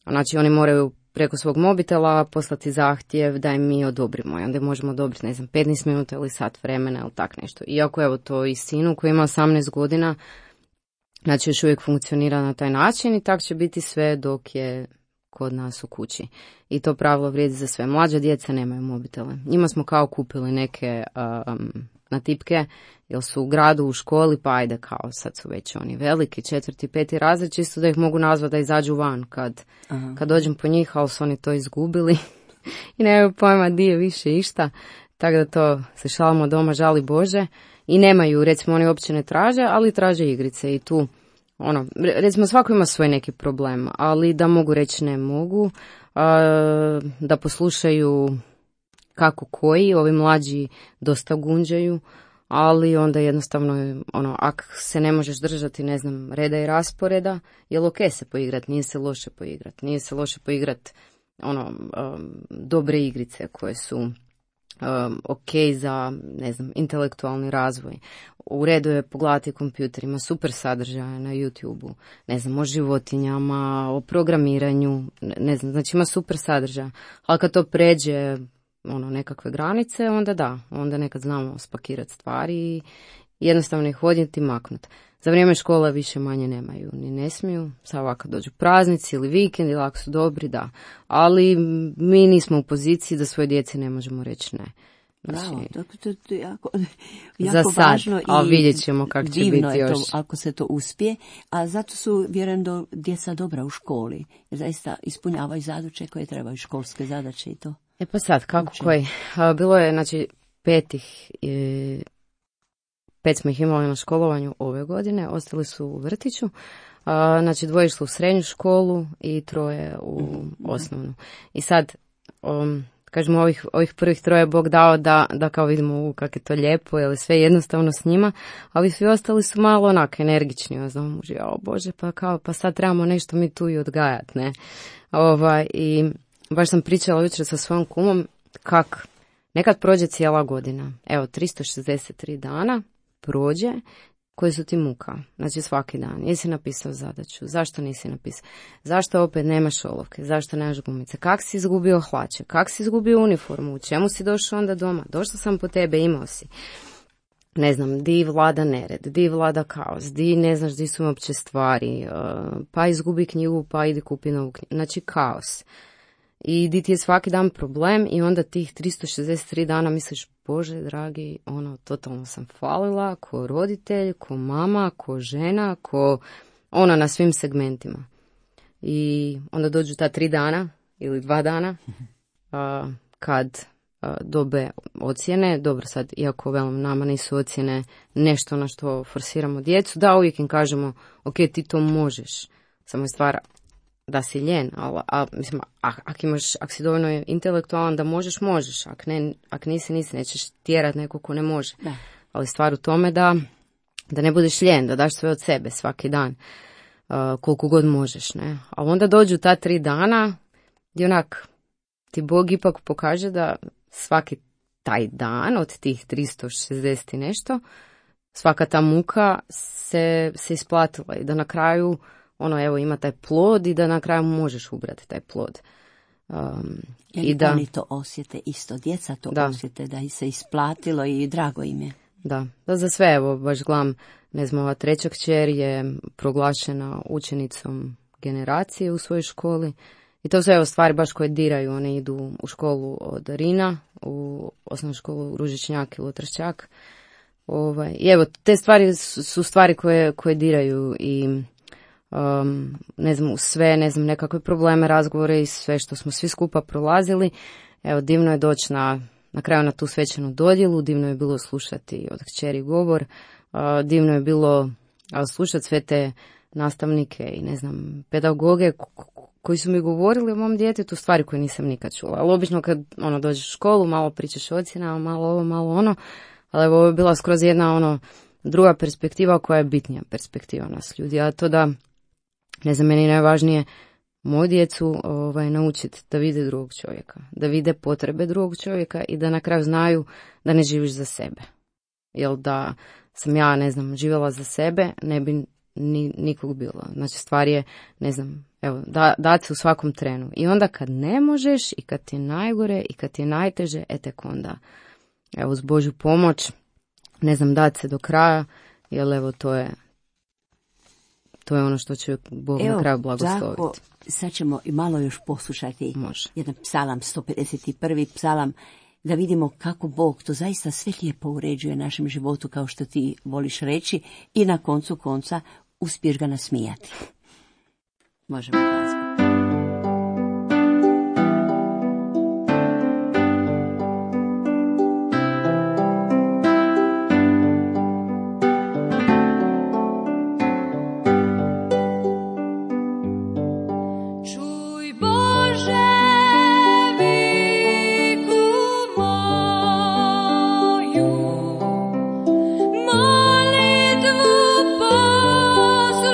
Znači oni moraju preko svog mobitela poslati zahtjev da im mi odobrimo i onda možemo odobriti, ne znam, 15 minuta ili sat vremena ili tak nešto. Iako evo to i sinu koji ima 18 godina, znači još uvijek funkcionira na taj način i tak će biti sve dok je kod nas u kući. I to pravilo vrijedi za sve. Mlađa djeca nemaju mobitele. Njima smo kao kupili neke na tipke, jer su u gradu, u školi, pa ajde kao sad su već oni veliki, 4., 5. razred, čisto da ih mogu nazvati da izađu van kad dođem po njih, ali su oni to izgubili i nemaju pojma di je više išta. Tako da to se šalimo doma, žali Bože. I nemaju, recimo oni uopće ne traže, ali traže igrice i tu, recimo svako ima svoj neki problem, ali da mogu reći ne mogu, da poslušaju kako koji, ovi mlađi dosta gunđaju, ali onda jednostavno, ako se ne možeš držati, ne znam, reda i rasporeda, jel ok se poigrat, nije se loše poigrat, dobre igrice koje su ok za, ne znam, intelektualni razvoj. U redu je pogledati kompjuter, ima super sadržaje na YouTube-u, ne znam, o životinjama, o programiranju, ne znam, znači ima super sadržaja, ali kad to pređe nekakve granice, onda nekad znamo spakirati stvari i jednostavno ih odnijeti i maknuti. Za vrijeme škole više manje nemaju, ni ne smiju, sad ovako dođu praznici ili vikend ili ako su dobri, da. Ali mi nismo u poziciji da svoje djeci ne možemo reći ne. Znači, bravo, to je jako za sad, važno a vidjet ćemo kako će biti još. To, ako se to uspije, a zato su, vjerujem, djeca dobra u školi, jer zaista ispunjavaju zadaće koje trebaju, školske zadaće i to. Pa sad, kako koji? Bilo je, znači, 5 smo ih imali na školovanju ove godine, ostali su u vrtiću, znači 2 išli u srednju školu i 3 u osnovnu. I sad, kažemo, ovih prvih 3 Bog dao da kao vidimo kako je to lijepo, jer sve jednostavno s njima, ali svi ostali su malo onako energični, znam, Bože, pa sad trebamo nešto mi tu i odgajati, ne? I baš sam pričala jučer sa svojom kumom kak nekad prođe cijela godina. Evo, 363 dana prođe koji su ti muka. Znači svaki dan. Jesi napisao zadaću? Zašto nisi napisao? Zašto opet nemaš olovke? Zašto nemaš gumice? Kak si izgubio hlače? Kak si izgubio uniformu? U čemu si došao onda doma? Došla sam po tebe, imao si. Ne znam, di vlada nered, di vlada kaos, di ne znaš di su uopće stvari, pa izgubi knjigu, pa idi kupi novu knjigu. Znači kaos. I di ti je svaki dan problem i onda tih 363 dana misliš, Bože dragi, ono, totalno sam falila, ko roditelj, ko mama, ko žena, ko ona na svim segmentima. I onda dođu ta 3 dana ili 2 dana kad dobe ocjene. Dobro, sad, iako velim, nama nisu ocjene nešto na što forsiramo djecu, da, uvijek im kažemo, ok, ti to možeš, samo je stvar da si ljen, ali mislim, ako si dovoljno intelektualan da možeš, ako nisi, nećeš tjerat neko ko ne može. Da. Ali stvar u tome da ne budeš ljen, da daš sve od sebe svaki dan, koliko god možeš, ne. A onda dođu ta 3 dana gdje onak ti Bog ipak pokaže da svaki taj dan od tih 360 i nešto, svaka ta muka se isplatila i da na kraju ono, evo, ima taj plod i da na kraju možeš ubrati taj plod. I da oni to osjete isto, djeca to osjete, da ih se isplatilo i drago im je. Da za sve, evo, baš gledam, ne znam, ova 3. kćer je proglašena učenicom generacije u svojoj školi. I to su evo stvari baš koje diraju, one idu u školu od Rina, u osnovnu školu Ružičnjak ili Tršćak. I evo, te stvari su stvari koje diraju i ne znam, sve, ne znam, nekakve probleme, razgovore i sve što smo svi skupa prolazili. Evo, divno je doći na kraju na tu svečanu dodjelu, divno je bilo slušati od kćeri govor, divno je bilo slušati sve te nastavnike i ne znam, pedagoge koji su mi govorili o mom djetetu stvari koje nisam nikad čula. Ali obično kad dođeš u školu, malo pričaš o ocjenama, malo ovo, malo ono, ali evo, ovo je bila skroz jedna druga perspektiva koja je bitnija perspektiva nas ljudi, a to da, ne znam, meni najvažnije moju djecu naučiti da vide drugog čovjeka, da vide potrebe drugog čovjeka i da na kraju znaju da ne živiš za sebe. Jer da sam ja, ne znam, živjela za sebe, ne bi nikog bilo. Znači, stvar je, ne znam, evo, dati se u svakom trenu. I onda kad ne možeš i kad ti je najgore i kad ti je najteže, tek onda, evo, uz Božju pomoć, ne znam, dati se do kraja, jer evo, to je ono što će Bog na kraju blagosloviti. Tako, sad ćemo i malo još poslušati. Može. Jedan psalam, 151. psalam, da vidimo kako Bog to zaista sve lijepo uređuje našem životu, kao što ti voliš reći, i na koncu konca uspiješ ga nasmijati. Možemo glazbu. Molitvu poslušaj.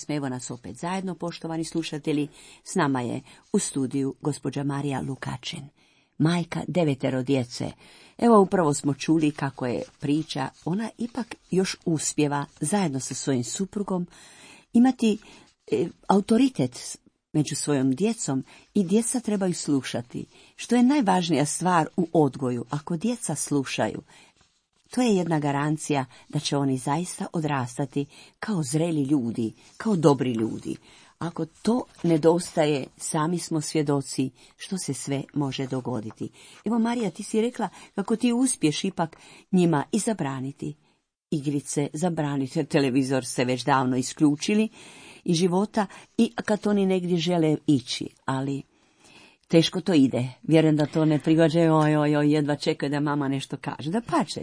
pjesme. Evo nas opet zajedno, poštovani slušatelji. S nama je u studiju gospođa Marija Lukačin, majka 9 djece. Evo upravo smo čuli kako je priča, ona ipak još uspijeva zajedno sa svojim suprugom imati autoritet među svojom djecom i djeca trebaju slušati. Što je najvažnija stvar u odgoju, ako djeca slušaju, to je jedna garancija da će oni zaista odrastati kao zreli ljudi, kao dobri ljudi. Ako to nedostaje, sami smo svjedoci što se sve može dogoditi. Evo Marija, ti si rekla kako ti uspješ ipak njima i zabraniti igrice, zabraniti, televizor se već davno isključili iz života i kad oni negdje žele ići, ali teško to ide. Vjerujem da to ne prigađaju, jedva čekaju da mama nešto kaže. Da pače,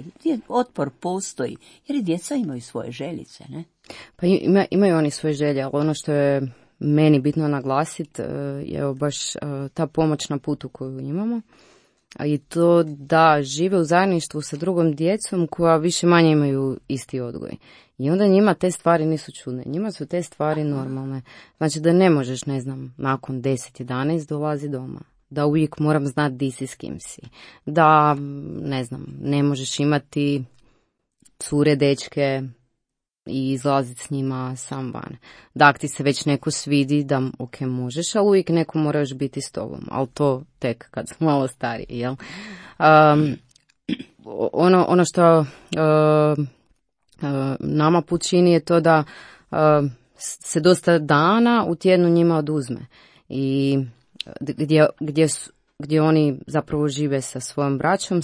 otpor postoji, jer i djeca imaju svoje željice, ne? Pa imaju oni svoje želje, ali ono što je meni bitno naglasiti je baš ta pomoć na putu koju imamo. I to da žive u zajedništvu sa drugom djecom koja više manje imaju isti odgoj. I onda njima te stvari nisu čudne. Njima su te stvari normalne. Znači da ne možeš, ne znam, nakon 10-11 dolazi doma. Da uvijek moram znati di si s kim si. Da, ne znam, ne možeš imati cure, dečke i izlaziti s njima sam van. Da, ako ti se već neko svidi, da ok, možeš, ali uvijek neko mora još biti s tobom. Ali to tek kad smo malo stariji, jel? Ono što nama put čini je to da se dosta dana u tjednu njima oduzme. I gdje oni zapravo žive sa svojom braćom,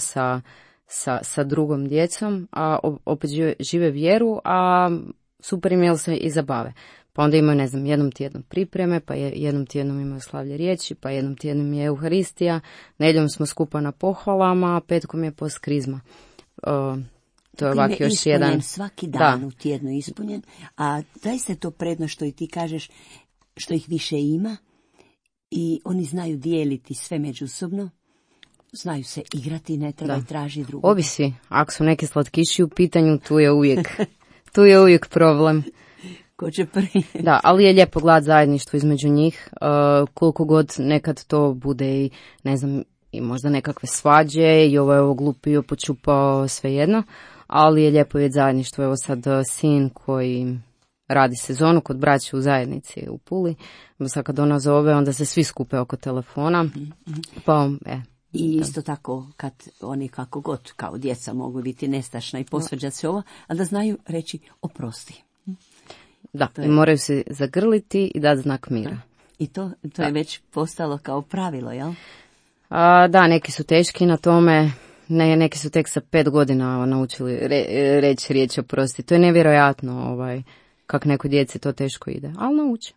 sa drugom djecom, a opet žive vjeru, a super im jel se i zabave. Pa onda imaju, ne znam, jednom tjednom pripreme, pa jednom tjednom imaju slavlje riječi, pa jednom tjednom je Euharistija, nedjeljom smo skupa na pohvalama, a petkom je post krizma. To je ovak još jedan. Svaki dan u tjednu ispunjen, a daj se to predno što i ti kažeš, što ih više ima i oni znaju dijeliti sve međusobno. Znaju se igrati, ne treba i traži drugo. Ovisi, ako su neki slatkiši u pitanju, tu je uvijek problem. Ko će prvi? Da, ali je lijepo gledati zajedništvo između njih, koliko god nekad to bude i, ne znam, i možda nekakve svađe i ovo glupio, počupao, svejedno, ali je lijepo vidjeti zajedništvo. Evo sad sin koji radi sezonu kod braće u zajednici u Puli, sad kad ona zove, onda se svi skupe oko telefona, pa I isto tako, kad oni kako god, kao djeca mogu biti nestašna i posvađati se ovo, a da znaju reći oprosti. Da, i moraju se zagrliti i dati znak mira. Da. I to je već postalo kao pravilo, jel? Da, neki su teški na tome, neki su tek sa 5 godina naučili reći riječ oprosti. To je nevjerojatno, kako neko djeci to teško ide, ali nauči.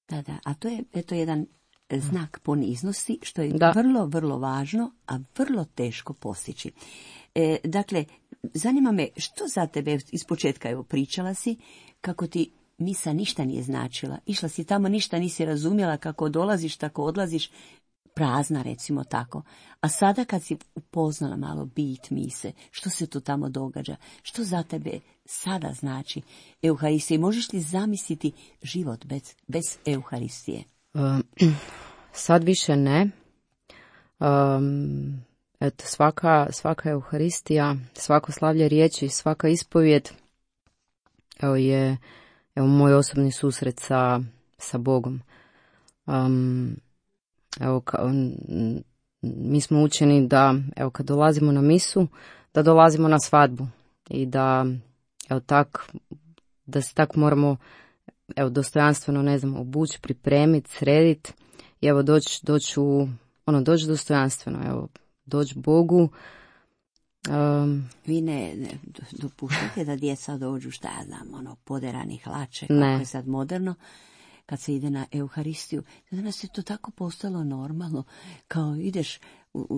Da, a to je eto jedan znak poniznosti, što je vrlo, vrlo važno, a vrlo teško postići. Dakle, zanima me što za tebe iz početka, evo pričala si, kako ti misa ništa nije značila. Išla si tamo, ništa nisi razumjela, kako dolaziš, tako odlaziš, prazna recimo tako. A sada kad si upoznala malo bit mise, što se tu tamo događa, što za tebe sada znači Euharistija? Možeš li zamisliti život bez Euharistije? Sad više ne. Eto, svaka Euharistija, svako slavlje riječi, svaka ispovjed je moj osobni susret sa Bogom. Mi smo učeni da kad dolazimo na misu, da dolazimo na svadbu i da se tak moramo dostojanstveno, ne znam, obući, pripremiti, srediti i doći dostojanstveno, doći Bogu. Vi ne dopuštate da djeca dođu, šta ja znam, poderanih hlače, kako je sad moderno, kad se ide na Euharistiju. Danas je to tako postalo normalno, kao ideš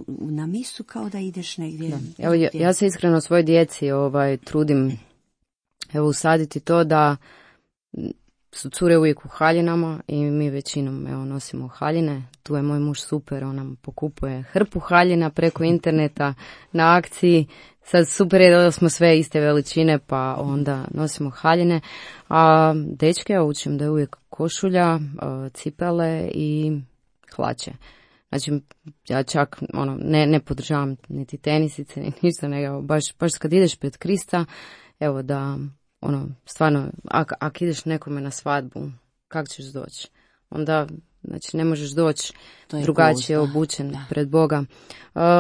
na misu, kao da ideš negdje. Evo, ja se iskreno svoj djeci trudim usaditi to da su cure uvijek u haljinama i mi većinom nosimo haljine. Tu je moj muž super, on nam pokupuje hrpu haljina preko interneta na akciji. Sad super je da smo sve iste veličine, pa onda nosimo haljine. A dečke ja učim da je uvijek košulja, cipele i hlače. Znači, ja čak ne podržavam niti tenisice, ni ništa, nego baš kad ideš pred Krista, evo da, stvarno, ako ideš nekome na svadbu, kako ćeš doći? Onda, znači, ne možeš doći drugačije obučen pred Boga.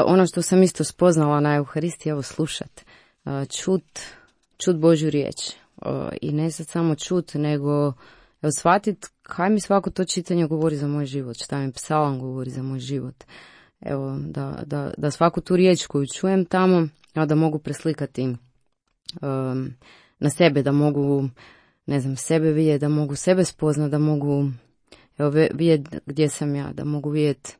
Ono što sam isto spoznala na Euharistiji, evo slušat, čut Božju riječ. I ne sad samo čut, nego shvatit kaj mi svako to čitanje govori za moj život, šta mi psalam govori za moj život. Evo, da svaku tu riječ koju čujem tamo, da mogu preslikati na sebe, da mogu, ne znam, sebe vidjeti, da mogu sebe spoznat, da mogu vidjeti gdje sam ja, da mogu vidjeti,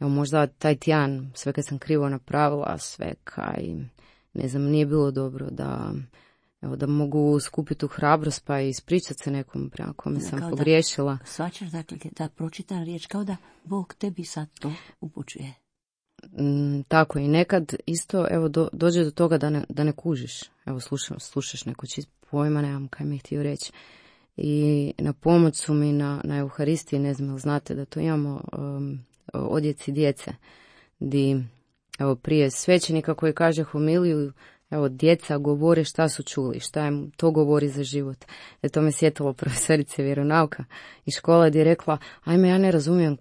evo, možda taj tjedan, sve kad sam krivo napravila, sve kaj, ne znam, nije bilo dobro, da mogu skupiti tu hrabrost pa i ispričati se nekom prema kome sam pogriješila. Svačaš, dakle, da pročitana riječ, kao da Bog tebi sad to upućuje. Tako i nekad isto, evo, dođe do toga da ne kužiš. Evo, slušaš neko pojma, nemam kaj mi je htio reći. I na pomoć su mi na Euharistiji, ne znam, znate da to imamo odjeci djece, di, evo, prije svećenika koji kaže homiliju, evo, djeca govore šta su čuli, šta im to govori za život. To me sjetilo profesorice vjeronauka iz škole gdje je rekla, ajme, ja ne razumijem,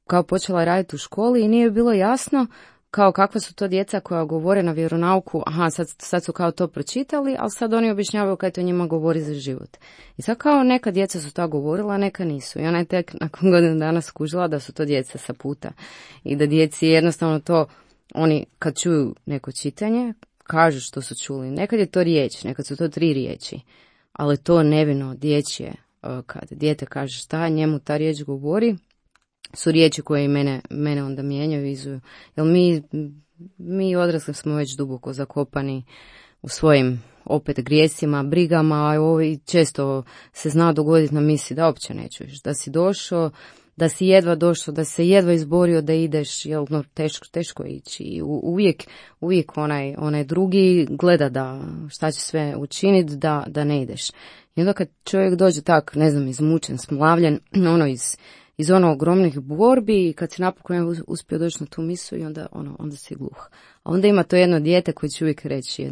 kao počela raditi u školi i nije bilo jasno kao kakva su to djeca koja govore na vjeronauku, aha, sad su kao to pročitali, ali sad oni objašnjavaju kaj to njima govori za život. I sad kao neka djeca su to govorila, a neka nisu. I ona je tek nakon godinu dana skužila da su to djeca sa puta. I da djeci jednostavno to, oni kad čuju neko čitanje, kažu što su čuli. Nekad je to riječ, nekad su to 3 riječi, ali to nevino dječje, kad dijete kaže šta njemu ta riječ govori, su riječi koje i mene onda mijenjaju, vizuju. Jer mi odrasli smo već duboko zakopani u svojim opet grijesima, brigama, a ovi često se zna dogoditi na misi da uopće ne čuješ, da si došao, da si jedva došao, da se jedva izborio da ideš, jel, teško je ići. I uvijek onaj drugi gleda da šta će sve učiniti da ne ideš. I onda kad čovjek dođe tak, ne znam, izmučen, smlavljen, iz ogromnih borbi i kad se napokon uspio doći na tu misu i onda si gluh. A onda ima to jedno dijete koje će uvijek reći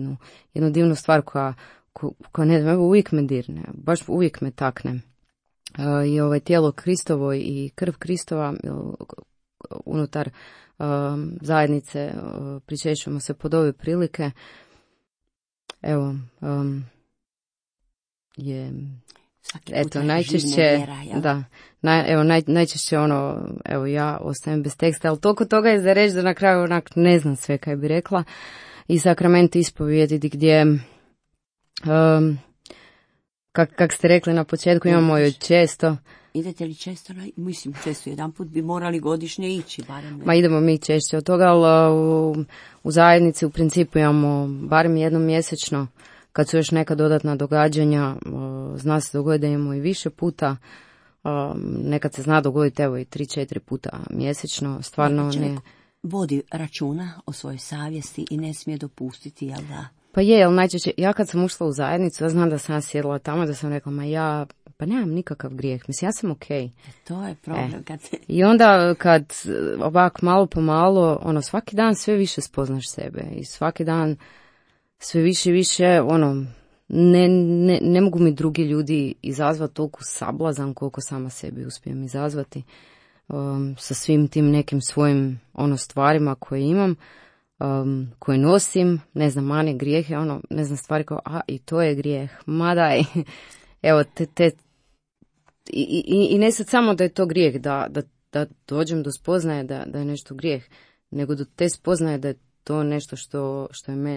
jednu divnu stvar koja ne znam, uvijek me dirne, baš uvijek me takne. I tijelo Kristovo i krv Kristova unutar zajednice pričešćujemo se pod ove prilike. Evo, je eto najčešće najčešće evo ja ostajem bez teksta, ali toliko toga je za reći da na kraju ne znam sve kaj bi rekla. I sakrament ispovijedi gdje kak ste rekli na početku, imamo joj često. Idete li često? Mislim, često, jedan put bi morali godišnje ići. Barem. Ma idemo mi češće od toga, ali u zajednici u principu imamo barem jednom mjesečno, kad su još neka dodatna događanja, zna se dogoditi da imamo i više puta, nekad se zna dogoditi evo i 3-4 puta mjesečno, stvarno ne. Vodi računa o svojoj savjesti i ne smije dopustiti, jel da? Pa je, ali najčešće, ja kad sam ušla u zajednicu, ja znam da sam sjedila tamo, da sam rekla, pa nemam nikakav grijeh, mislim, ja sam okej. To je problem. I onda kad ovak malo po malo, svaki dan sve više spoznaš sebe i svaki dan sve više, ne mogu mi drugi ljudi izazvati toliko sablazan koliko sama sebi uspijem izazvati sa svim tim nekim svojim stvarima koje imam, koje nosim, ne znam, mane, grijehe, ne znam, stvari kao, i to je grijeh, ma daj, evo, i ne sad samo da je to grijeh, da dođem do spoznaje da je nešto grijeh, nego do te spoznaje da je to nešto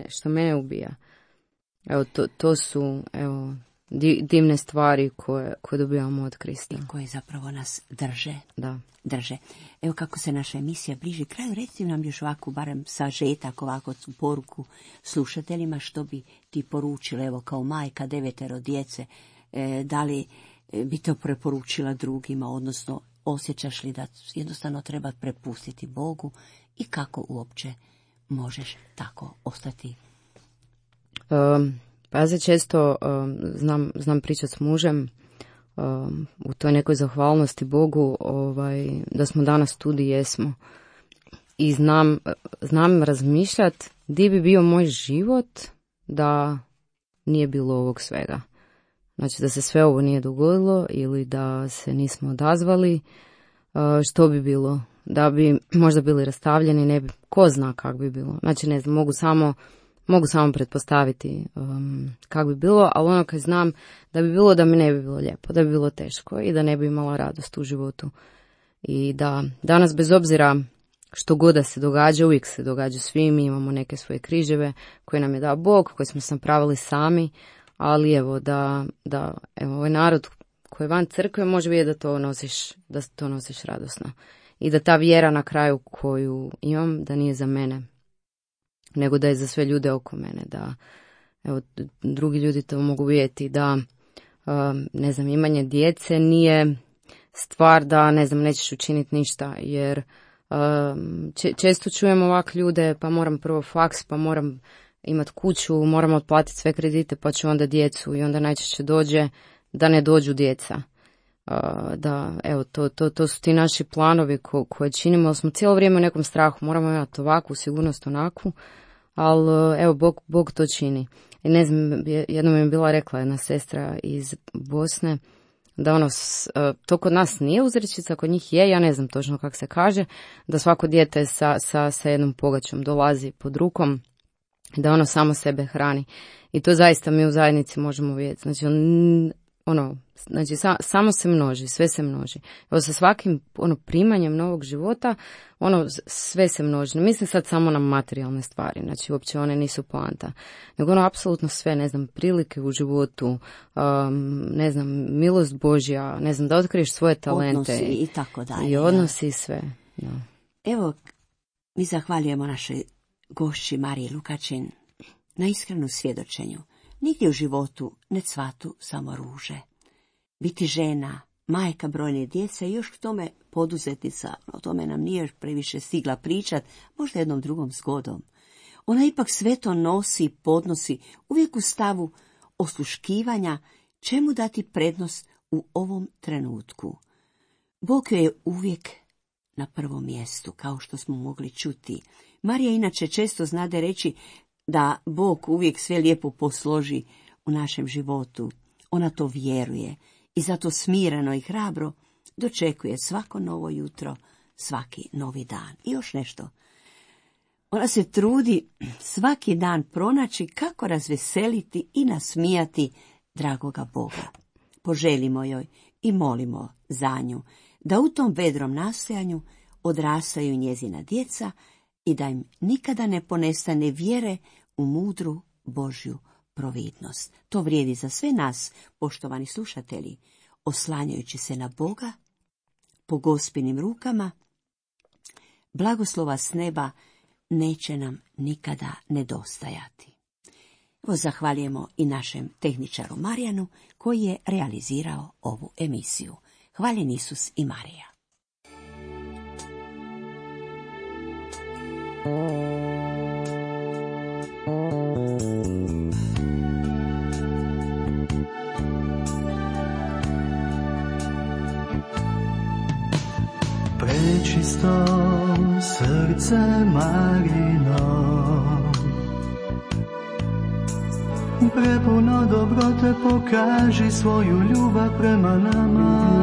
što mene ubija. Evo, to su, evo, divne stvari koje dobivamo od Krista. I koje zapravo nas drže. Da. Drže. Evo kako se naša emisija bliži kraju, recite nam još ovako, barem sažetak, ovako poruku slušateljima, što bi ti poručila, evo kao majka 9 djece, Da li bi to preporučila drugima, odnosno osjećaš li da jednostavno treba prepustiti Bogu i kako uopće možeš tako ostati? Pa ja se često znam pričati s mužem u toj nekoj zahvalnosti Bogu da smo danas tu gdje jesmo. I znam razmišljati gdje bi bio moj život da nije bilo ovog svega. Znači da se sve ovo nije dogodilo ili da se nismo odazvali, što bi bilo? Da bi možda bili rastavljeni, ne bi, ko zna kako bi bilo. Znači ne znam, mogu samo pretpostaviti kako bi bilo, ali ono kad znam da bi bilo da mi ne bi bilo lijepo, da bi bilo teško i da ne bi imala radost u životu. I da danas bez obzira što god da se događa, uvijek se događa svim, mi imamo neke svoje križeve koje nam je dao Bog, koje smo sam pravili sami, ali evo da evo, ovaj narod koji je van crkve može vidjeti da to nosiš radosno. I da ta vjera na kraju koju imam, da nije za mene, nego da je za sve ljude oko mene, da evo, drugi ljudi to mogu vidjeti, da ne znam, imanje djece nije stvar da ne znam, nećeš učiniti ništa, jer često čujem ovak ljude, pa moram prvo faks, pa moram imati kuću, moram otplatiti sve kredite, pa ću onda djecu, i onda najčešće dođe da ne dođu djeca. Da, evo, to su ti naši planovi koje činimo, ali smo cijelo vrijeme u nekom strahu, moramo imati ovakvu sigurnost, onakvu, ali evo, Bog to čini. I ne znam, jednom je bila rekla jedna sestra iz Bosne, da to kod nas nije uzrečica, kod njih je, ja ne znam točno kako se kaže, da svako dijete sa jednom pogačom dolazi pod rukom, da ono samo sebe hrani. I to zaista mi u zajednici možemo vidjeti. Znači, samo se množi, sve se množi. Evo, sa svakim primanjem novog života, sve se množi. Ne mislim sad samo na materijalne stvari, znači uopće one nisu poanta. Nego apsolutno sve, ne znam, prilike u životu, ne znam, milost Božja, ne znam, da otkriješ svoje talente. Odnosi i tako dalje. I odnosi i sve. Ja. Evo, mi zahvaljujemo našoj gošći Mariji Lukačin na iskrenu svjedočenju. Nigdje u životu ne cvatu samo ruže. Biti žena, majka brojne djece i još k tome poduzetnica, o tome nam nije još previše stigla pričat, možda jednom drugom zgodom. Ona ipak sve to nosi i podnosi, uvijek u stavu osluškivanja, čemu dati prednost u ovom trenutku. Bog joj je uvijek na prvom mjestu, kao što smo mogli čuti. Marija inače često znade reći da Bog uvijek sve lijepo posloži u našem životu. Ona to vjeruje i zato smireno i hrabro dočekuje svako novo jutro, svaki novi dan. I još nešto. Ona se trudi svaki dan pronaći kako razveseliti i nasmijati dragoga Boga. Poželimo joj i molimo za nju da u tom vedrom nastojanju odrastaju njezina djeca i da im nikada ne ponestane vjere u mudru Božju providnost. To vrijedi za sve nas, poštovani slušatelji, oslanjajući se na Boga, po Gospinim rukama, blagoslova s neba neće nam nikada nedostajati. Evo, zahvaljujemo i našem tehničaru Marijanu koji je realizirao ovu emisiju. Hvaljen Isus i Marija. Prečisto srce Marino, prepuno dobrote, pokaži svoju ljubav prema nama.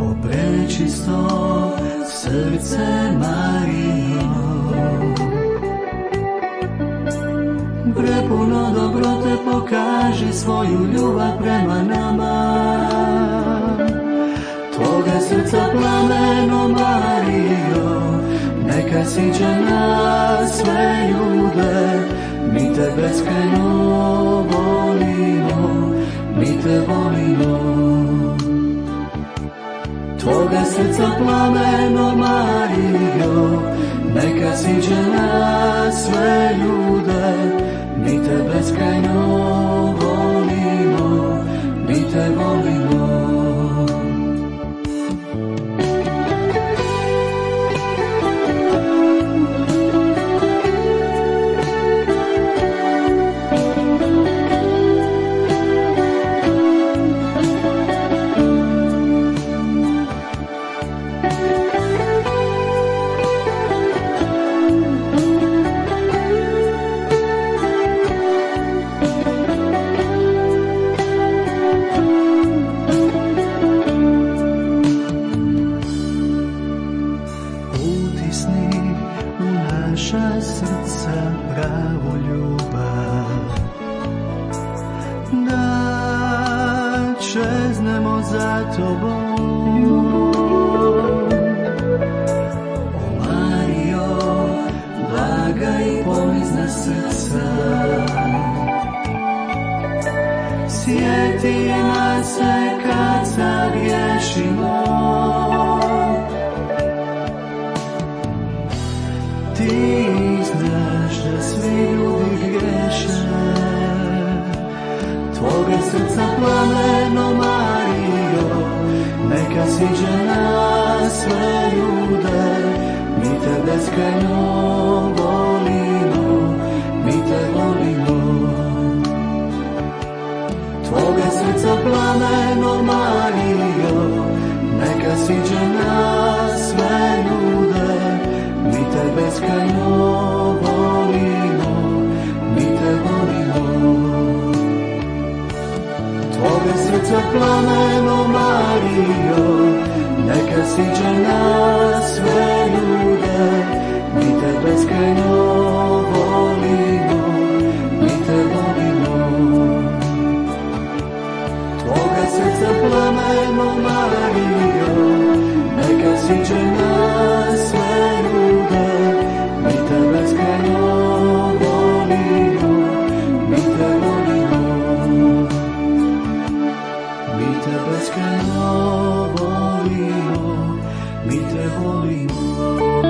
O prečisto srce Marino, prepuno dobrote, pokaži svoju ljubav prema nama. Tvoga srca plameno, Marijo, neka siđe na sve ljude. Mi te beskrajno volimo, mi te volimo. Tvoga srca plameno, Marijo, neka siđe na sve ljude. Mi te beskrajno volimo. te volimo. Sjeti nas se kad zagriješimo, ti znaš da svi ljudi griješe, tvoga srca plameno Marijo, neka siđe na sve ljude, mi te beskrajno volimo, mi te volimo. Tvoga srca plameno Marijo, neka siđe na sve ljude, mi te beskrajno volimo, mi te volimo. Tvoga srca plameno Marijo, neka siđe na sve ljude, mi te beskrajno volimo, mi te volimo. Tvoga srca plameno Marijo, neka siđe na sve ljude, mi te beskrajno volimo, mi te volimo. Mi te beskrajno volimo, mi te volimo.